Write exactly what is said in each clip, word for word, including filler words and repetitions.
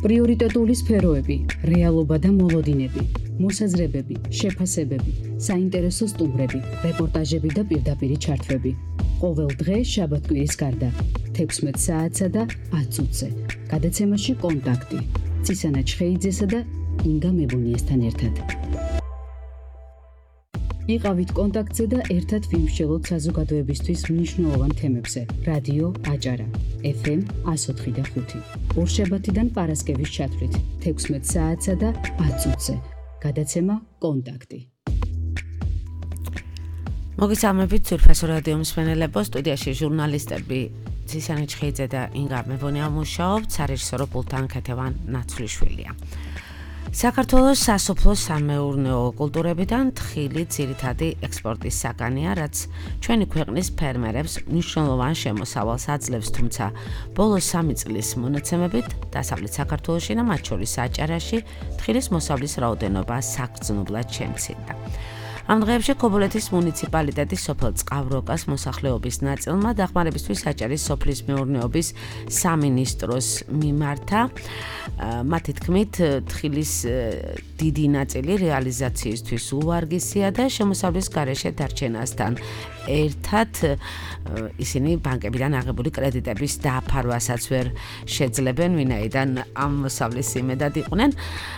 პრიორიტეტული სფეროები, რეალობა და მოლოდინები, მოსაზრებები, შეფასებები, საინტერესო სტუმრები, რეპორტაჟები და პირდაპირი ჩართვები. ყოველ დღე შაბათ-კვირის გარდა, თექვსმეტ საათსა და ათ წუთზე. გადაცემაში კონტაქტი. ცისანა ჩხეიძესა და ინგა მებუნიესთან ერთად. იყავით კონტაქტზე და ერთად ვიმსჯელოთ საზოგადოებისთვის მნიშვნელოვან თემებზე. რადიო აჭარა, ეფ ემ εκατო ოთხი და ხუთი. ორშაბათიდან პარასკევის ჩათვლით, თექვსმეტ საათსა და ათ წუთზე. გადაცემა კონტაქტი. მოგესალმებით ძვირფასო რადიო მსმენელებო, სტუდიაში ჟურნალისტები ცისანა ჩხეიძე და ინგა მებუნია მუშაობთ, სარეჟისორო პულტთან ქეთევან ნაცვლიშვილია. საქართველოს სასოფლო-სამეურნეო კულტურებიდან თხილი ძირითადი ექსპორტის საგანია, რაც ჩვენი ქვეყნის ფერმერებს მნიშვნელოვან შემოსავალს აძლევს, თუმცა ბოლო სამი წლის მონაცემებით დასავლეთ საქართველოში და მათ შორის აჭარაში თხილის მოსავლის რაოდენობა საგრძნობლად შემცირდა. ამ დღეებში ქობულეთის მუნიციპალიტეტის სოფელ წყავროკას მოსახლეობის ნაწილმა დახმარებისთვის აჭარის სოფლის მეურნეობის სამინისტროს მიმართა. მათი თქმით, თხილის დიდი ნაწილი რეალიზაციისთვის უვარგისია და შემოსავლის გარეშე დარჩენასთან ერთად ისინი ბანკებიდან აღებული კრედიტების დაფარვასაც ვერ შეძლებენ, ვინაიდან ამ მოსავლის იმედად იყვნენ,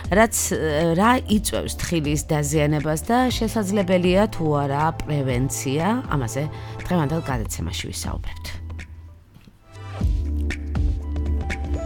რაც რა იწვევს თხილის დაზიანებას და შესაძლებელია თუ არა პრევენცია, ამაზე დღევანდელ გადაცემაში ვისაუბრებთ.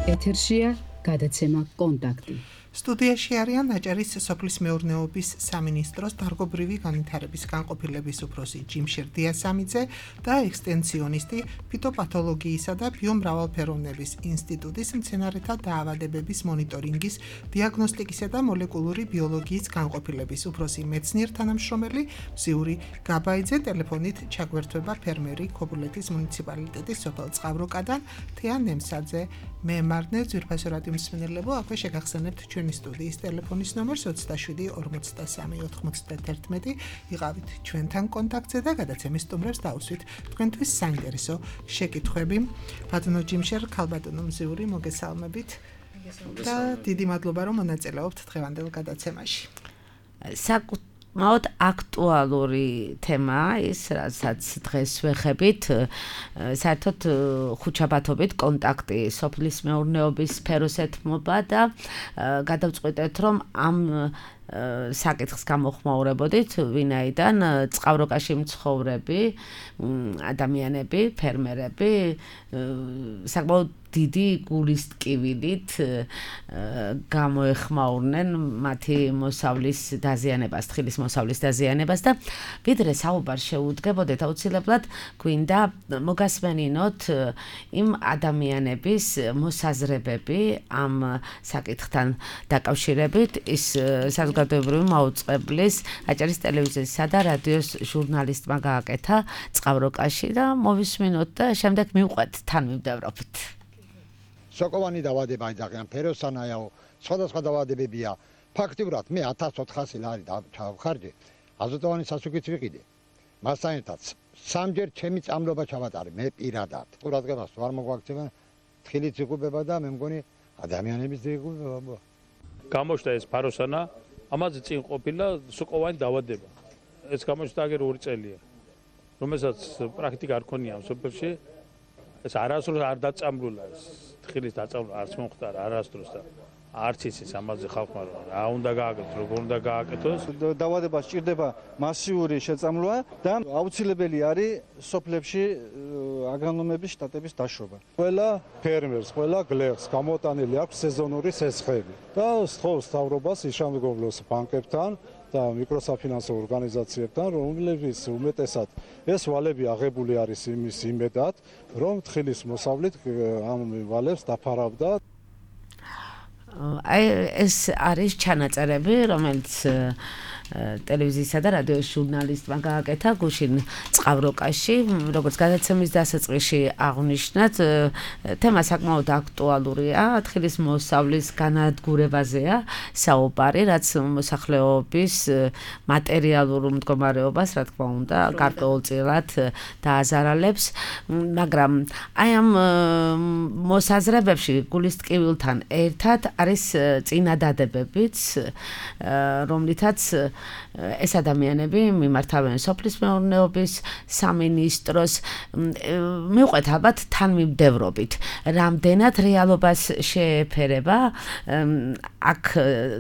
ეთერშია გადაცემა კონტაქტი. სტუდიაში არიან აჭარის სოფლის მეურნეობის სამინისტროს დარგობრივი განვითარების განყოფილების უფროსი ჯიმშერ დიასამიძე და ექსტენსიონისტი ფიტოპათოლოგიისა და ბიომრავალფეროვნების ინსტიტუტის მცენარეთა დაავადებების მონიტორინგის, დიაგნოსტიკისა და მოლეკულური ბიოლოგიის განყოფილების უფროსი მეცნიერ თანამშრომელი მზიური გაბაიძე. ტელეფონით ჩაგვერთვება ფერმერი ქობულეთის მუნიციპალიტეტის სოფელ წყავროკადან თეა ნემსაძე. მე მარნევ ძვირფასო რადიო მსმენელებო, აქვე შეგახსენებთ ჩვენი სტუდიის ტელეფონის ნომერს ოცდაშვიდი ორმოცდასამი ოთხმოცდაათერთმეტი. იყავით ჩვენთან კონტაქტზე და გადაცემის სტუმრებს დაუსვით თქვენთვის საინტერესო შეკითხვები. ბატონო ჯიმშერ, ქალბატონო მზიური, მოგესალმებით და დიდი მადლობა, რომ მონაწილეობთ დღევანდელ გადაცემაში. საკუთ მოდ აქტუალური თემაა ის, რასაც დღეს ვეხებით, საერთოდ ხუთშაბათობით კონტაქტი სოფლის მეურნეობის სფეროს ეთმობა და გადავწყვიტეთ, რომ ამ საკითხს გამოხმაურებოდით, ვინაიდან წყავროკაში მცხოვრები ადამიანები, ფერმერები საკმაოდ დიდი გულის ტკივილით გამოეხმაურნენ მათი მოსავლის დაზიანებას, თხილის მოსავლის დაზიანებას და ვიდრე საუბარ შეუდგებოდეთ, აუცილებლად გვინდა მოგასმენინოთ იმ ადამიანების მოსაზრებები ამ საკითხთან დაკავშირებით. ის საზოგადოებრივი მაუწყებლის აჭარის ტელევიზიისა და რადიოს ჟურნალისტმა გააკეთა წყავროკაში და მოვისმინოთ და შემდეგ მივყვეთ, თან მივდევრობით. სოკოვანი დავადება იძახიან, ფეროსანაიაო, სხვადასხვა დავადებებია. ფაქტიურად მე ათას ოთხასი ლარი ჩავხარჯე, აზოტოვანი სასუქიც ვიყიდე. მასთან ერთად სამჯერ ჩემი წამლობა ჩავატარე, მე პირადად. ყურადღებას ვარ მოგვაქცევა, თხილიც იღუპება და მე მგონი ადამიანების იღუპება. გამოჩნდა ეს ფაროსანა, ამაზე წინ ყოფილა სოკოვანი დავადება. ეს გამოჩნდა აგერ ორი წელია, რომელსაც პრაქტიკა არ ქონია სოფელში. ეს არასდროს არ დაწამლულა, თხილის დაწამლულა არც მომხდარა არასდროს და არც იცის ამაზე ხალხმა რა უნდა გააკეთოს, როგორ უნდა გააკეთოს. დავადება სჭირდება მასიური შეწამლვა და აუცილებელი არის სოფლებში აგრონომების შტატების დაშრობა. ყველა ფერმერს, ყველა გლეხს გამოტანილი აქვს სეზონური სესხები და სთხოვს მთავრობას იშამდგომლოს ბანკებთან და მიკროსაფინანსო ორგანიზაციებთან, რომლებიც უმეტესად ეს ვალები აღებული არის იმის იმედად, რომ თხილის მოსავლით ამ ვალებს დაფარავდა. აი ეს არის ჩანაწერები, რომელიც ტელევიზიისა და რადიოს ჟურნალისტმა გააკეთა გუშინ წყავროკაში, როგორც გადაცემის დასაწყისში აღნიშნათ, თემა საკმაოდ აქტუალურია, თხილის მოსავლის განადგურებაზეა საუბარი, რაც მოსახლეობის მატერიალურ მდგომარეობას, რა თქმა უნდა, გარკვეულწილად დააზარალებს, მაგრამ აი ამ მოსაზრებებში გულის ტკივილთან ერთად არის წინადადებებიც, რომლითაც ეს ადამიანები მიმართავენ სოფლის მეურნეობის სამინისტროს, მივყვეთ ალბათ თანმიმდევრობით, რამდენად რეალობას შეეფერება აქ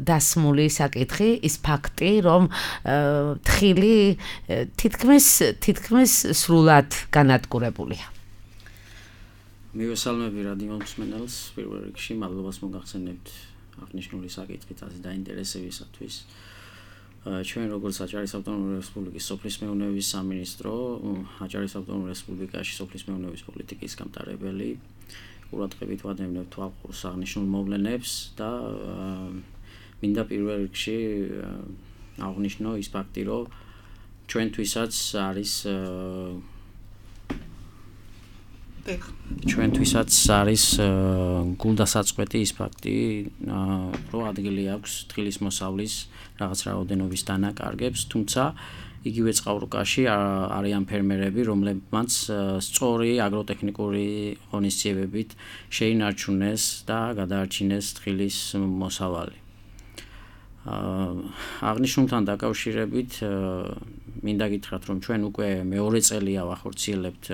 დასმული საკითხი, ის ფაქტი, რომ თხილი თითქმის თითქმის სრულად განადგურებულია. მივესალმები რადიო მსმენელს, პირველ რიგში მადლობას მოგახსენებთ აღნიშნული საკითხით აზრი დაინტერესებისათვის. ჩვენ როგორც აჭარის ავტონომიური რესპუბლიკის სოფლის მეურნეობის სამინისტრო, აჭარის ავტონომურ რესპუბლიკაში სოფლის მეურნეობის პოლიტიკის გამტარებელი, ყურადღებით ვადევნებთ თვალყურს აღნიშნულ მოვლენებს და მინდა პირველ რიგში აღნიშნო ის ფაქტი, რომ ჩვენთვისაც არის ჩვენთვისაც არის გულდასაწყვეტი ის ფაქტი, რომ ადგილი აქვს თხილის მოსავლის რაღაც რაოდენობის დანაკარგებს, თუმცა იგივე წყავროკაში არიან ფერმერები, რომლებმაც სწორი აგროტექნიკური ღონისძიებებით შეინარჩუნეს და გადაარჩინეს თხილის მოსავალი. აღნიშნულთან დაკავშირებით მინდა გითხრათ, რომ ჩვენ უკვე მეორე წელია ვახორციელებთ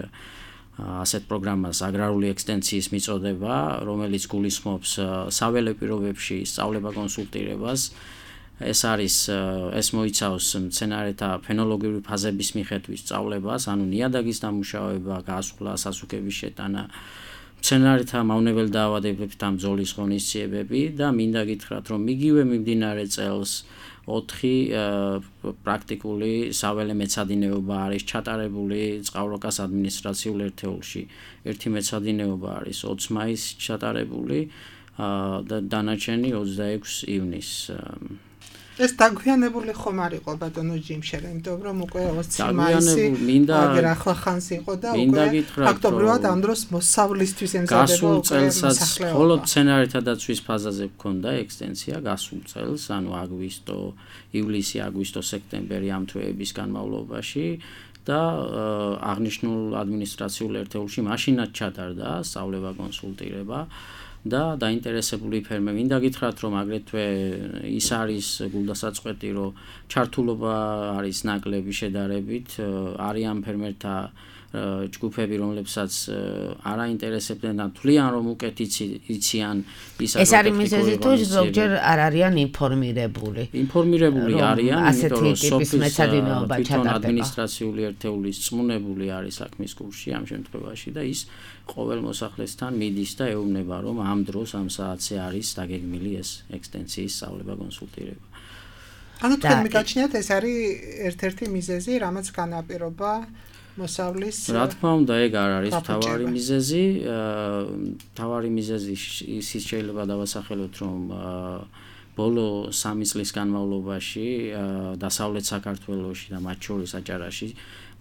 ასეთ პროგრამას აგრარული ექსტენციის მიწოდება, რომელიც გულისხმობს საველე პირობებში სწავლება კონსულტირებას. ეს არის ეს მოიცავს მცენარეთა ფენოლოგიური ფაზების მიხედვით სწავლებას, ანუ ნიადაგის დამუშავება, გასვლა, სასუქების შეტანა, მცენარეთა მავნებელ დაავადებებთან ამ ბრძოლის ღონისძიებები და მინდა გითხრათ, რომ იგივე მიმდინარე წელს ოთხი პრაქტიკული საველე მეცადინეობა არის ჩატარებული წყავროკას ადმინისტრაციულ ერთეულში. ერთი მეცადინეობა არის ოცი მაისს ჩატარებული და დანარჩენი ოცდაექვსი ივნისს. ეს დაგვიანებული ხომ არ იყო ბატონო ჯიმშერ, იმიტომ რომ უკვე ოცი მაისი აგერ ახლა ხანს იყო და უკვე ფაქტობრივად ამ დროს მოსავლისთვის ემზადება გასულ წელსაც მხოლოდ მცენარეთა დაცვის ფაზაზე გქონდა ექსტენცია გასულ წელს, ანუ აგვისტო, ივლისი, აგვისტო, სექტემბერი ამ თვეების განმავლობაში და აღნიშნულ ადმინისტრაციულ ერთეულში მაშინაც ჩატარდა სწავლება კონსულტირება. და დაინტერესებული ფერმერები მინდა გითხრათ, რომ აგრეთვე ის არის გულდასაწყვეტი, რომ ჩართულობა არის ნაკლები შედარებით, არიან ფერმერთა ჯგუფები, რომლებსაც არ აინტერესებდნენ და თვლიან, რომ უკეთ იციან ის ეს არის მიზეზი თუ ზოგჯერ არ არიან ინფორმირებული. ინფორმირებული არიან, იმიტომ რომ სოფლის მეცადინეობა ჩატარდება. ადმინისტრაციული ერთეულის წმუნებული არის საქმის კურსში ამ შემთხვევაში და ის ყოველ მოსახლესთან მიდის და ეუბნება, რომ ამ დროს ამ საათზე არის დაგეგმილი ეს ექსტენციის სწავლება კონსულტირება. ანუ თქვენ მიგაჩნიათ ეს არის ერთ-ერთი მიზეზი, რამაც განაპირობა მოსავლის რა თქმა უნდა, ეგ არ არის მთავარი მიზეზი. მთავარი მიზეზი ის შეიძლება დავასახელოთ, რომ ბოლო სამი წლის განმავლობაში დასავლეთ საქართველოში და მათ შორის აჭარაში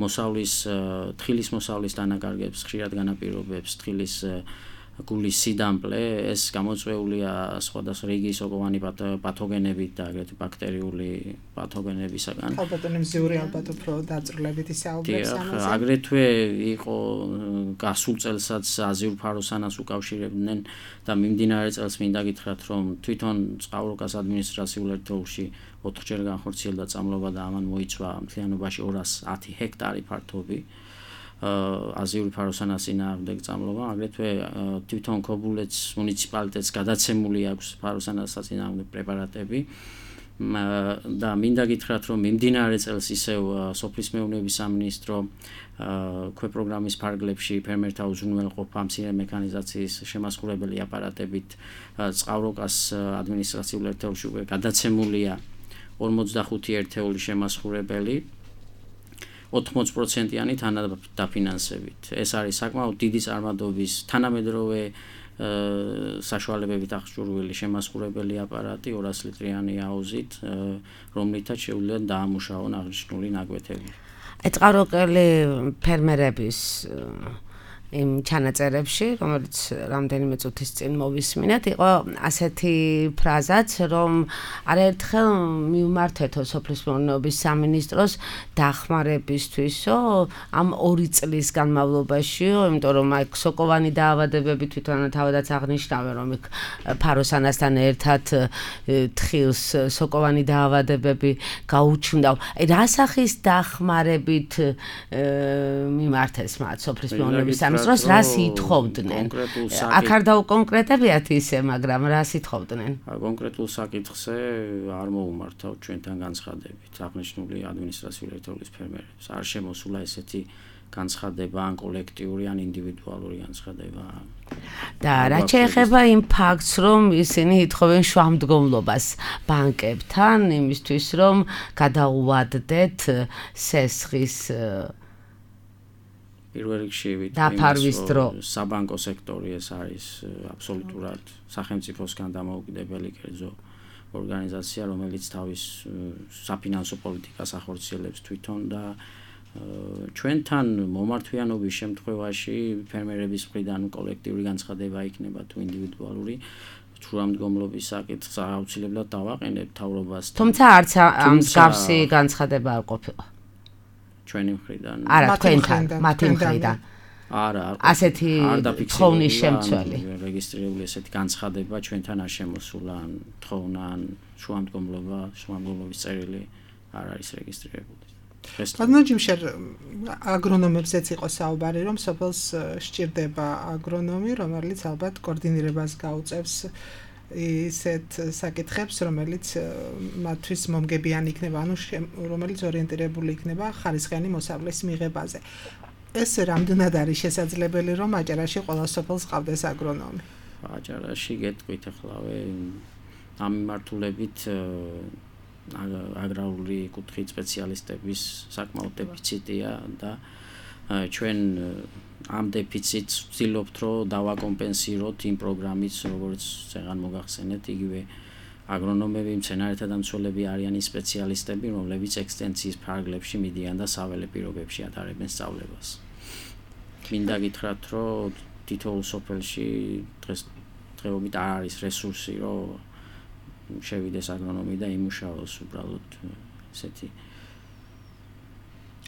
მოსავლის თხილის მოსავლის დანაკარგებს ხშირად განაპირობებს თხილის გულის სიდამპლე, ეს გამოწვეულია სხვადასხვა რიგი სოკოვანი პათოგენებით და აგრეთვე ბაქტერიული პათოგენებისაგან. ალბათო მზიური ალბათ უფრო დაწვრილებით ისაუბრებს ამაზე. აგრეთვე იყო გასულ წელსაც აზიურ ფაროსანას უკავშირებდნენ და მიმდინარე წელს მინდა გითხრათ, რომ თვითონ წყავროკას ადმინისტრაციულ ერთეულში ოთხჯერ განხორციელდა წამლობა და ამან მოიცვა მთლიანობაში ორას ათი ჰექტარი ფართობი. აზიური ფაროსანას წინააღმდეგ წამლობა, აგრეთვე თვითონ ქობულეთს მუნიციპალიტეტს გადაცემული აქვს ფაროსანას წინააღმდეგ პრეპარატები და მინდა გითხრათ, რომ მიმდინარე წელს ისევ სოფლის მეურნეობის სამინისტრო ქვეპროგრამის ფარგლებში ფერმერთა უზრუნველყოფა მცირე მექანიზაციის შემასხურებელი აპარატებით წყავროკას ადმინისტრაციულ ერთეულში უკვე გადაცემულია ორმოცდახუთი ერთეული შემასხურებელი ოთხმოცი პროცენტიანი თანადაფინანსებით. ეს არის საკმაოდ დიდი წარმადობის თანამედროვე საშუალებებით აღჭურვილი შემასყურებელი აპარატი ორას ლიტრიანი აუზით, რომლითაც შეუძლია დაამუშავონ აღნიშნული ნაკვეთები. აი წყაროკელი ფერმერების იმ ჩანაწერებში, რომელიც რამდენიმე წუთის წინ მოვისმინეთ, იყო ასეთი ფრაზაც, რომ არაერთხელ მიუმართეთო სოფლის მეურნეობის სამინისტროს დახმარებისთვისო, ამ ორი წლის განმავლობაშიო, იმიტომ რომ აი სოკოვანი დაავადებები თვითონ თავადაც აღნიშნავენ, რომ იქ ფაროსანასთან ერთად თხილს სოკოვანი დაავადებები გაუჩნდა. აი რა სახის დახმარებით მიმართეს მათ სოფლის მეურნეობის სამინისტროს რას რას ითხოვდნენ? აქ არ დაუკონკრეტებიათ ისე, მაგრამ რას ითხოვდნენ? კონკრეტულ საკითხზე არ მოუმართავ ჩვენთან განცხადებით აღნიშნული ადმინისტრაციული ერთეულის ფერმერებს. არ შემოსულა ესეთი განცხადება ან კოლექტიური ან ინდივიდუალური განცხადება. და რა შეეხება იმ ფაქტს, რომ ისინი ითხოვენ შუამდგომლობას ბანკებთან იმისთვის, რომ გადაუვადდეთ სესხის პირველ რიგში დაფარვის დრო. საბანკო სექტორი ეს არის აბსოლუტურად სახელმწიფოსგან დამოუკიდებელი კერძო ორგანიზაცია, რომელიც თავის საფინანსო პოლიტიკას ახორციელებს თვითონ და ჩვენთან მომართვიანობის შემთხვევაში ფერმერების მხრიდან კოლექტიური განცხადება იქნება თუ ინდივიდუალური შუამდგომლობის საკითხს აუცილებლად დავაყენებ მთავრობასთან. თუმცა არც ამ მსგავსი განცხადება არ ყოფილა. ჩვენი მხრიდან. არა, თქვენთან, მათი მხრიდან. არა, არ ასეთი თხოვნის შემცველი. რეგისტრირებული ესეთი განცხადება ჩვენთან არ შემოსულა, ან თხოვნა, ან შუამდგომლობა, შუამდგომლობის წერილი არ არის რეგისტრირებული. ბატონო ჯიმშერ, აგრონომებზეც იყო საუბარი, რომ სოფელს სჭირდება აგრონომი, რომელიც ალბათ კოორდინირებას გაუწევს ისეთ საკითხებს, რომელიც მათთვის მომგებიანი იქნება, ანუ რომელიც ორიენტირებული იქნება ხარისხიანი მოსავლის მიღებაზე. ეს რამდენად არის შესაძლებელი, რომ აჭარაში ყველა სოფელს ყავდეს აგრონომი? აჭარაში გეტყვით ახლავე ამ მიმართულებით აგრარული კუთხით სპეციალისტების საკმაოდ დეფიციტია და ჩვენ ამ დეფიციტს ვცდილობთ, რომ დავაკომპენსიროთ იმ პროგრამით, როგორც წეგან მოგახსენეთ, იგივე აგრონომები, მცენარეთა დამცველები არიან ის სპეციალისტები, რომლებიც ექსტენციის ფარგლებში მიდიან და საველე პირობებში ატარებენ სწავლებას. მინდა გითხრათ, რომ თითოეულ სოფელში დღეს დღეობით არ არის რესურსი, რომ შევიდეს აგრონომი და იმუშაოს უბრალოდ ესეთი.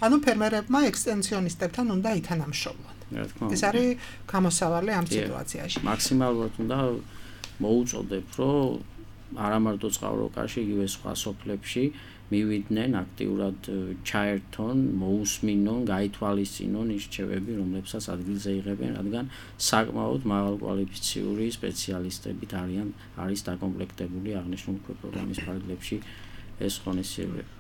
ანუ ფერმერებმა ექსტენსიონისტებთან უნდა ითანამშრომლონ. ეს არის გამოსავალი ამ სიტუაციაში. მაქსიმალურად უნდა მოუწოდებ, რომ არა მარტო წყაროკაში, იგივე სხვა სოფლებში მივიდნენ აქტიურად ჩაერთონ, მოусმინონ, გაითვალისწინონ ის რჩევები, რომლებსაც ადგილზე იღებენ, რადგან საკმაოდ მაღალკვალიფიციური სპეციალისტებით არიან არის დაკომპლექტებული აღნიშნული პროგრამის ფარგლებში ეს ღონისძიებები.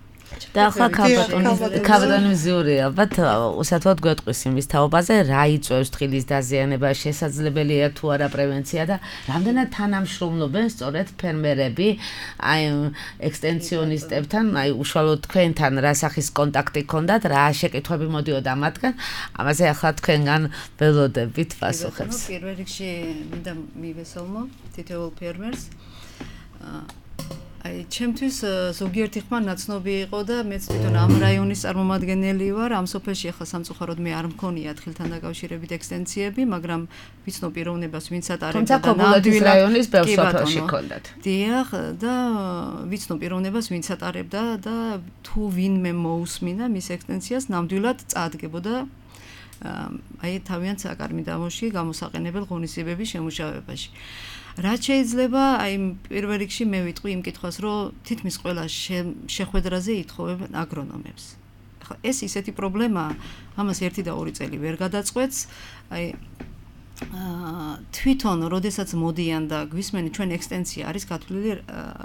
და ახლა კაბადონიზური ალბათ უსათოდ გვეტყვის იმის თაობაზე, რა იწვევს თხილის დაზიანება, შესაძლებელია თუ არა პრევენცია და რამდენად თანამშრომლობენ სწორედ ფერმერები აი ექსტენსიონისტებთან, აი უშუალოდ თქვენთან რა სახის კონტაქტი გქონდათ, რა შეკითხვები მოდიოდა მათგან, ამაზე ახლა თქვენგან ველოდებით პასუხებს. პირველ რიგში მინდა მივესალმო თითოეულ ფერმერს. აი, ჩემთვის ზოგიერთი ხმა ნაცნობი იყო და მეც თვითონ ამ რაიონის წარმომადგენელი ვარ. ამ სოფელში ახლა სამწუხაროდ მე არ მქონია თხილთან დაკავშირებით ექსტენციები, მაგრამ ვიცნო პიროვნებას, ვინც ატარებდა და ნამდვილად რაიონის ბევრ სოფელში ჰქონდათ. დიახ, და ვიცნო პიროვნებას, ვინც ატარებდა და თუ ვინმე მოусმინა მის ექსტენციას, ნამდვილად წაადგებოდა აი თავიანთ საკარმი დამოში გამოსაყენებელ ღონისძიებების შემუშავებაში. რაც შეიძლება აი პირველ რიგში მე ვიტყვი იმ კითხვას, რომ თითქმის ყველა შეხვედრაზე ითხოვებენ აგრონომებს. ახლა ეს ისეთი პრობლემაა, ამას ერთი და ორი წელი ვერ გადაწყვეტს. აი თვითონ როდესაც მოდიან და გვისმენენ ჩვენ ექსტენსია არის გათვლილი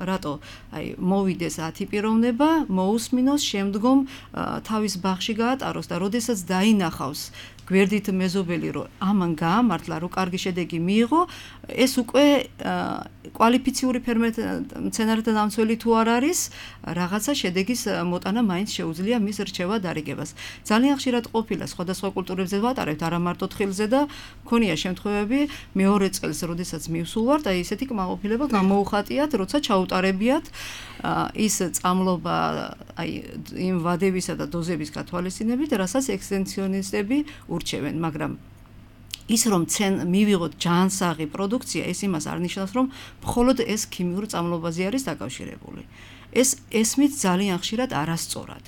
რატო აი მოვიდეს ათი პიროვნება, მოусმინოს, შემდგომ თავის ბაღში გაატაროს და როდესაც დაინახავს გვერდით მეზობელი, რომ ამან გაამართლა, რომ კარგი შედეგი მიიღო, ეს უკვე კვალიფიციური მცენარეთა დამცველი თუ არ არის, რაღაცა შედეგის მოტანა მაინც შეუძლია მის რჩევა დარიგებას. ძალიან ხშირად ყოფილა სხვადასხვა კულტურებზე ვატარებთ, არა მარტო თხილზე და მქონია შემთხვევები მეორე წელს, როდესაც მივსულ ვართ, აი ესეთი კმაყოფილება გამოუხატიათ, როცა ჩაუტარებიათ ის წამლობა აი იმ ვადებისა და დოზების გათვალისწინებით, რასაც ექსტენსიონისტები ურჩევენ, მაგრამ ის რომ ცენ მივიღოთ ჯანსაღი პროდუქცია, ეს იმას არ ნიშნავს, რომ მხოლოდ ეს ქიმიურ წამლობაზე არის დაკავშირებული. ეს ესმით ძალიან ხშირად არასწორად.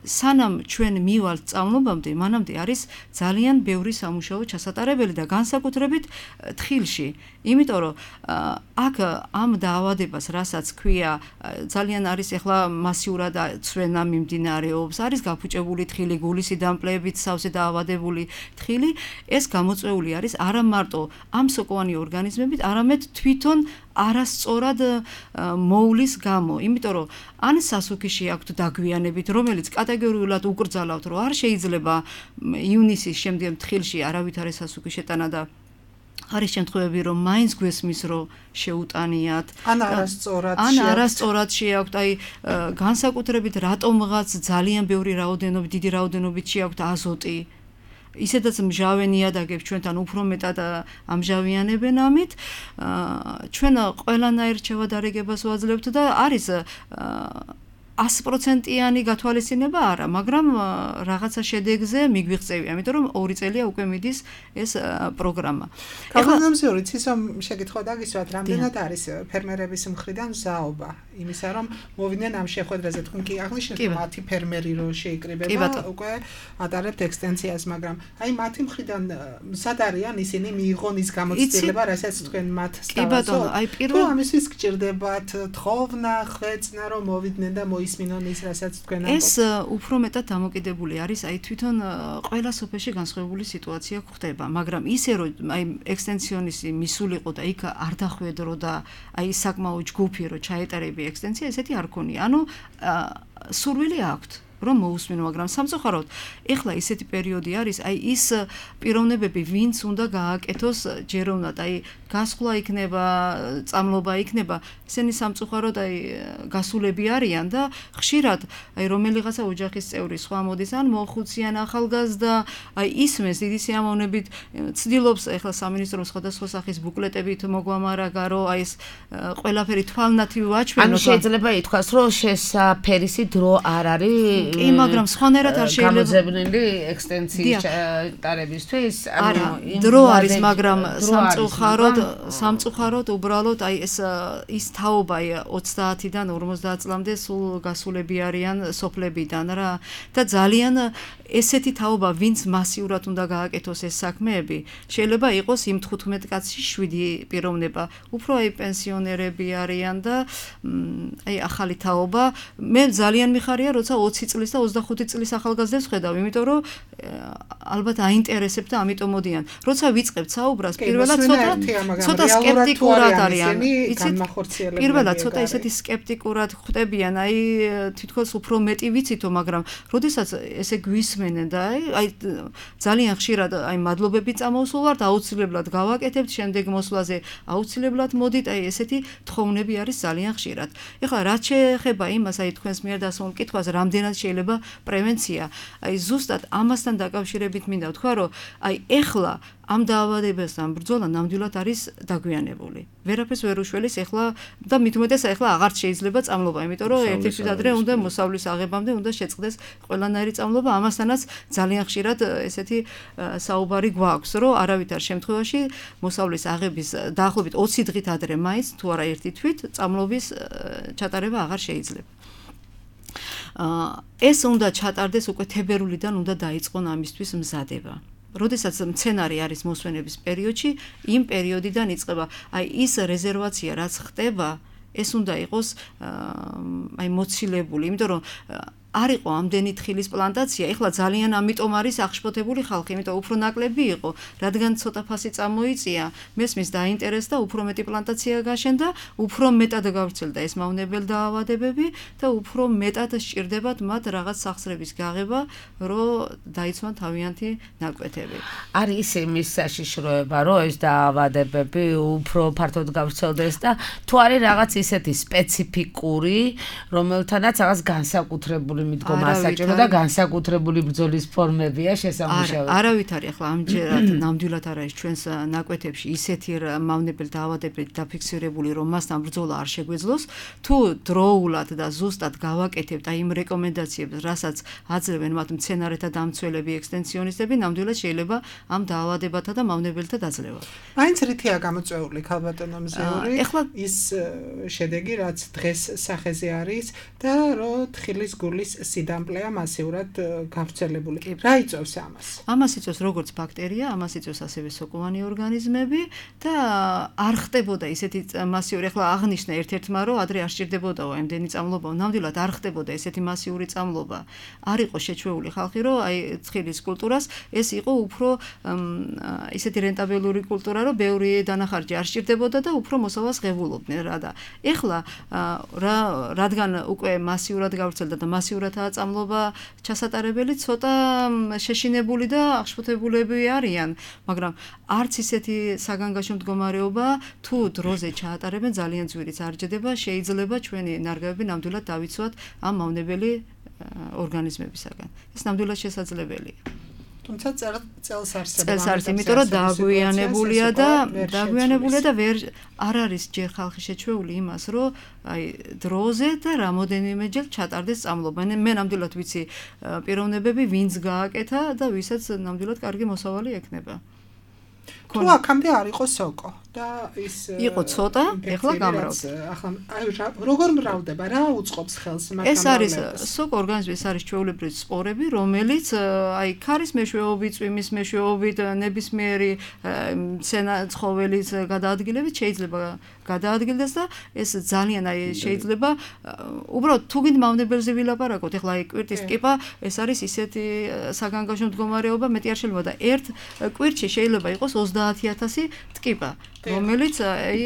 სანამ ჩვენ მივალთ წამლობამდე, მანამდე არის ძალიან ბევრი სამუშაო ჩასატარებელი და განსაკუთრებით თხილში. იმიტომ რომ აქ ამ დაავადებას, რასაც ქვია, ძალიან არის ახლა მასიურად ცვენა მიმდინარეობს, არის გაფუჭებული თხილი, გულის დამპლეებით სავსე დაავადებული თხილი, ეს გამოწვეული არის არა მარტო ამ სოკოვანი ორგანიზმებით, არამედ თვითონ არასწორად მოვლის გამო, იმიტომ რომ ან სასუქიში აქვთ დაგვიანებით, რომელიც კატეგორიულად უკრძალავთ, რომ არ შეიძლება ივნისის შემდგომ თხილში არავითარი სასუქი შეტანა და არის შემთხვევები, რომ მაინც გვესმის, რომ შეუტანიათ, ან არასწორად ან არასწორად შეაქვთ, აი განსაკუთრებით რატომღაც ძალიან ბევრი რაოდენობით, დიდი რაოდენობით შეაქვთ აზოტი. ისედაც მჟავე ნიადაგებს ჩვენთან უფრო მეტად ამჟავიანებენ ამით. ჩვენ ყველანაირ ჩავადარეგებას ვაძლევთ და არის ას პროცენტიანი გათვალისწინება არა, მაგრამ რაღაცა შედეგზე მიგვიღწევია, იმიტომ რომ ორი წელია უკვე მიდის ეს პროგრამა. კანონმდებლური ცისომ შეკითხვა დაგისვათ, რამდენად არის ფერმერების მხრიდან ზაობა იმისა, რომ მოვიდნენ ამ შეხვედრაზე, თქვენ კი აღნიშნეთ, რომ მათი ფერმერი რო შეიკრიბება, უკვე ატარებთ ექსტენსიას, მაგრამ აი მათი მხრიდან მზად არიან ისინი მიიღონ ის გამოცდილება, რასაც თქვენ მათ სთავაზობთ. კი ბატონო, აი პირველ ამისთვის გჭირდებათ თხოვნა, ხვეწნა, რომ მოვიდნენ და ისმინონ ის რასაც თქვენ ამბობთ. ეს უფრო მეტად დამოკიდებული არის აი თვითონ ყველა სოფელში განსხვავებული სიტუაცია გვხდება, მაგრამ ისე რომ აი ექსტენსიონისი მისულიყო და იქ არ დახვედრო და აი საკმაო ჯგუფი რომ ჩაეტარები ექსტენსია, ესეთი არ ქონია. ანუ სურვილი აქვთ რომ მოусმინო, მაგრამ სამწუხაროდ ეხლა ისეთი პერიოდი არის, აი ის პიროვნებები, ვინც უნდა გააკეთოს ჯეროვნად, აი გასხლა იქნება, წამლობა იქნება, ესენი სამწუხაროდ აი გასულები არიან და ხშირად აი რომელიღაცა ოჯახის წევრი სხვა მოდის ან მოხუციან ახალგაზრდა, აი ისმეს დიდი სიამოვნებით ცდილობს ეხლა სამინისტრომ სხვადასხვა სახის ბუკლეტებით მოგვამარაგა, რომ აი ეს ყველაფერი თვალნათი ვაჩვენოთ. ანუ შეიძლება ითქვას, რომ შესაფერისი დრო არ არის კი, მაგრამ სხვანაირად არ შეიძლება გამოძებნილი ექსტენსიის ტარებისთვის, ანუ დრო არის, მაგრამ სამწუხაროდ სამწუხაროდ უბრალოდ აი ეს ის თაობა ოცდაათიდან ორმოცდაათ წლამდე სულ გასულები არიან სოფლებიდან რა და ძალიან ესეთი თაობა, ვინც მასიურად უნდა გააკეთოს ეს საქმეები, შეიძლება იყოს იმ თხუთმეტ კაცში შვიდი პიროვნება, უფრო აი პენსიონერები არიან და აი ახალი თაობა. მე ძალიან მიხარია, როცა ოცი წლის და ოცდახუთი წლის ახალგაზრდებს ხედავ, იმიტომ რომ ალბათ აინტერესებს და ამიტომ მოდიან. როცა ვიწყებთ საუბრას, პირველად ცოტა ცოტა სკეპტიკურად არიან. იცით, პირველად ცოტა ისეთი სკეპტიკურად ხვდებიან, აი თითქოს უფრო მეტი ვიცითო, მაგრამ როდესაც ესე გვისმენენ და აი ძალიან ხშირად აი მადლობები წამოსულვართ, აუცილებლად გავაკეთებთ, შემდეგ მოსვლაზე აუცილებლად მოდით, აი ესეთი თხოვნები არის ძალიან ხშირად. ეხლა რაც შეეხება იმას, აი თქვენს მიერ დასმულ კითხვას, რამდენად შეიძლება პრევენცია, აი ზუსტად ამასთან დაკავშირებით მინდა ვთქვა, რომ აი ეხლა ამ დაავადებასთან ბრძოლა ნამდვილად არის დაგვიანებული. ვერაფერს ვერ უშველის ეხლა და მით უმეტეს ეხლა აღარც შეიძლება წამლობა, იმიტომ რომ ერთი თვით ადრე უნდა მოსავლის აღებამდე უნდა შეწყდეს ყველანაირი წამლობა, ამასთანაც ძალიან ხშირად ესეთი საუბარი გვაქვს, რომ არავითარ შემთხვევაში მოსავლის აღების დაახლოებით ოცი დღით ადრე მაინც თუ არა ერთი თვით წამლობის ჩატარება აღარ შეიძლება. ეს უნდა ჩატარდეს უკვე თებერვლიდან უნდა დაიწყონ ამისთვის მზადება. როდესაც მცენარე არის მოსვენების პერიოდში, იმ პერიოდიდან იწყება. აი ის რეზერვაცია, რაც ხდება, ეს უნდა იყოს აი მოცილებული, იმიტომ რომ არ იყო ამდენი თხილის პლანტაცია, ეხლა ძალიან ამიტომ არის აღშფოთებული ხალხი, იმიტომ უფრო ნაკლები იყო, რადგან ცოტა ფასი წამოიწია, მესმის დაინტერესდა, უფრო მეტი პლანტაცია გაშენდა, უფრო მეტად გავრცელდა ეს მავნებელ დაავადებები და უფრო მეტად სჭირდებათ მათ რაღაც სახსრების გაღება, რომ დაიცვან თავიანთი ნაკვეთები. არის იმის საშიშროება, რომ ეს დაავადებები უფრო ფართოდ გავრცელდეს და თუ არის რაღაც ისეთი სპეციფიკური, რომელთანაც რაღაც განსაკუთრებული პირდაპირ მიდგომა ასაჭირო და განსაკუთრებული ბრძოლის ფორმებია შესამუშავებელი. არა, არავით არის ახლა ამჯერად ნამდვილად არ არის ჩვენს ნაკვეთებში ისეთი მავნებელი დაავადებები დაფიქსირებული, რომ მასთან ბრძოლა არ შეგვეძლოს. თუ დროულად და ზუსტად გავაკეთებთ აი იმ რეკომენდაციებს, რასაც აძლევენ მათ მცენარეთა დამცველები, ექსტენსიონისტები, ნამდვილად შეიძლება ამ დაავადებათა და მავნებელთა დაძლევა. მაინც რითია გამოწვეული ქალბატონო მზეური ის შედეგი, რაც დღეს სახეზე არის და რომ თხილის გულის სიდამპლეა მასიურად გავრცელებული. რა იწვევს ამას? ამას იწვევს როგორც ბაქტერია, ამას იწვევს ასევე სოკოვანი ორგანიზმები და არ ხდებოდა ისეთი მასიური, ახლა აღნიშნა ერთ-ერთმა, რომ ადრე არ სჭირდებოდაო ამდენი წამლობა, ნამდვილად არ ხდებოდა ესეთი მასიური წამლობა. არ იყო შეჩვეული ხალხი, რომ აი თხილის კულტურას ეს იყო უფრო ისეთი რენტაბელური კულტურა, რომ ბევრი დანახარჯი არ სჭირდებოდა და უფრო მოსავალს ღებულობდნენ რა და ეხლა რა რადგან უკვე მასიურად გავრცელდა და მასიურადაა წამლობა ჩასატარებელი, ცოტა შეშინებული და აღშფოთებულები არიან, მაგრამ არც ისეთი საგანგაშო მდგომარეობა თუ დროზე ჩაატარებენ ძალიან ძვირიც არ ჯდება, შეიძლება ჩვენი ნარგავები ნამდვილად დავიცვათ ამ მავნებელი ორგანიზმებისაგან. ეს ნამდვილად შესაძლებელია. თუმცა წელს არსებობს. წელს არის, იმიტომ რომ დაგვიანებულია და დაგვიანებულია და ვერ არ არის ჯერ ხალხი შეჩვეული იმას, რომ აი დროზე და რამოდენიმეჯერ ჩატარდეს წამლობა. მე ნამდვილად ვიცი პიროვნებები, ვინც გააკეთა და ვისაც ნამდვილად კარგი მოსავალი ექნება. თუ აქამდე არ იყო სოკო და ის იყო ცოტა, ეხლა გამრავდა. ახლა აი როგორ მრავლდება, რა უწყობს ხელს მაგ ეს არის სოკო ორგანიზმი, ეს არის ჩვეულებრივი სპორები, რომელიც აი ქარის მეშვეობით, წვიმის მეშვეობით, ნებისმიერი ცხოველის გადაადგილებით შეიძლება გადაადგილდეს და ეს ძალიან აი შეიძლება უბრალოდ თუ გინდ მავნებელზე ვილაპარაკოთ, ეხლა აი კვირტის ტკიპა, ეს არის ისეთი საგანგაშო მდგომარეობა, მეტი არ შეიძლება და ერთ კვირტში შეიძლება იყოს ოცდაათი ათასი ტკიპა, რომელიც აი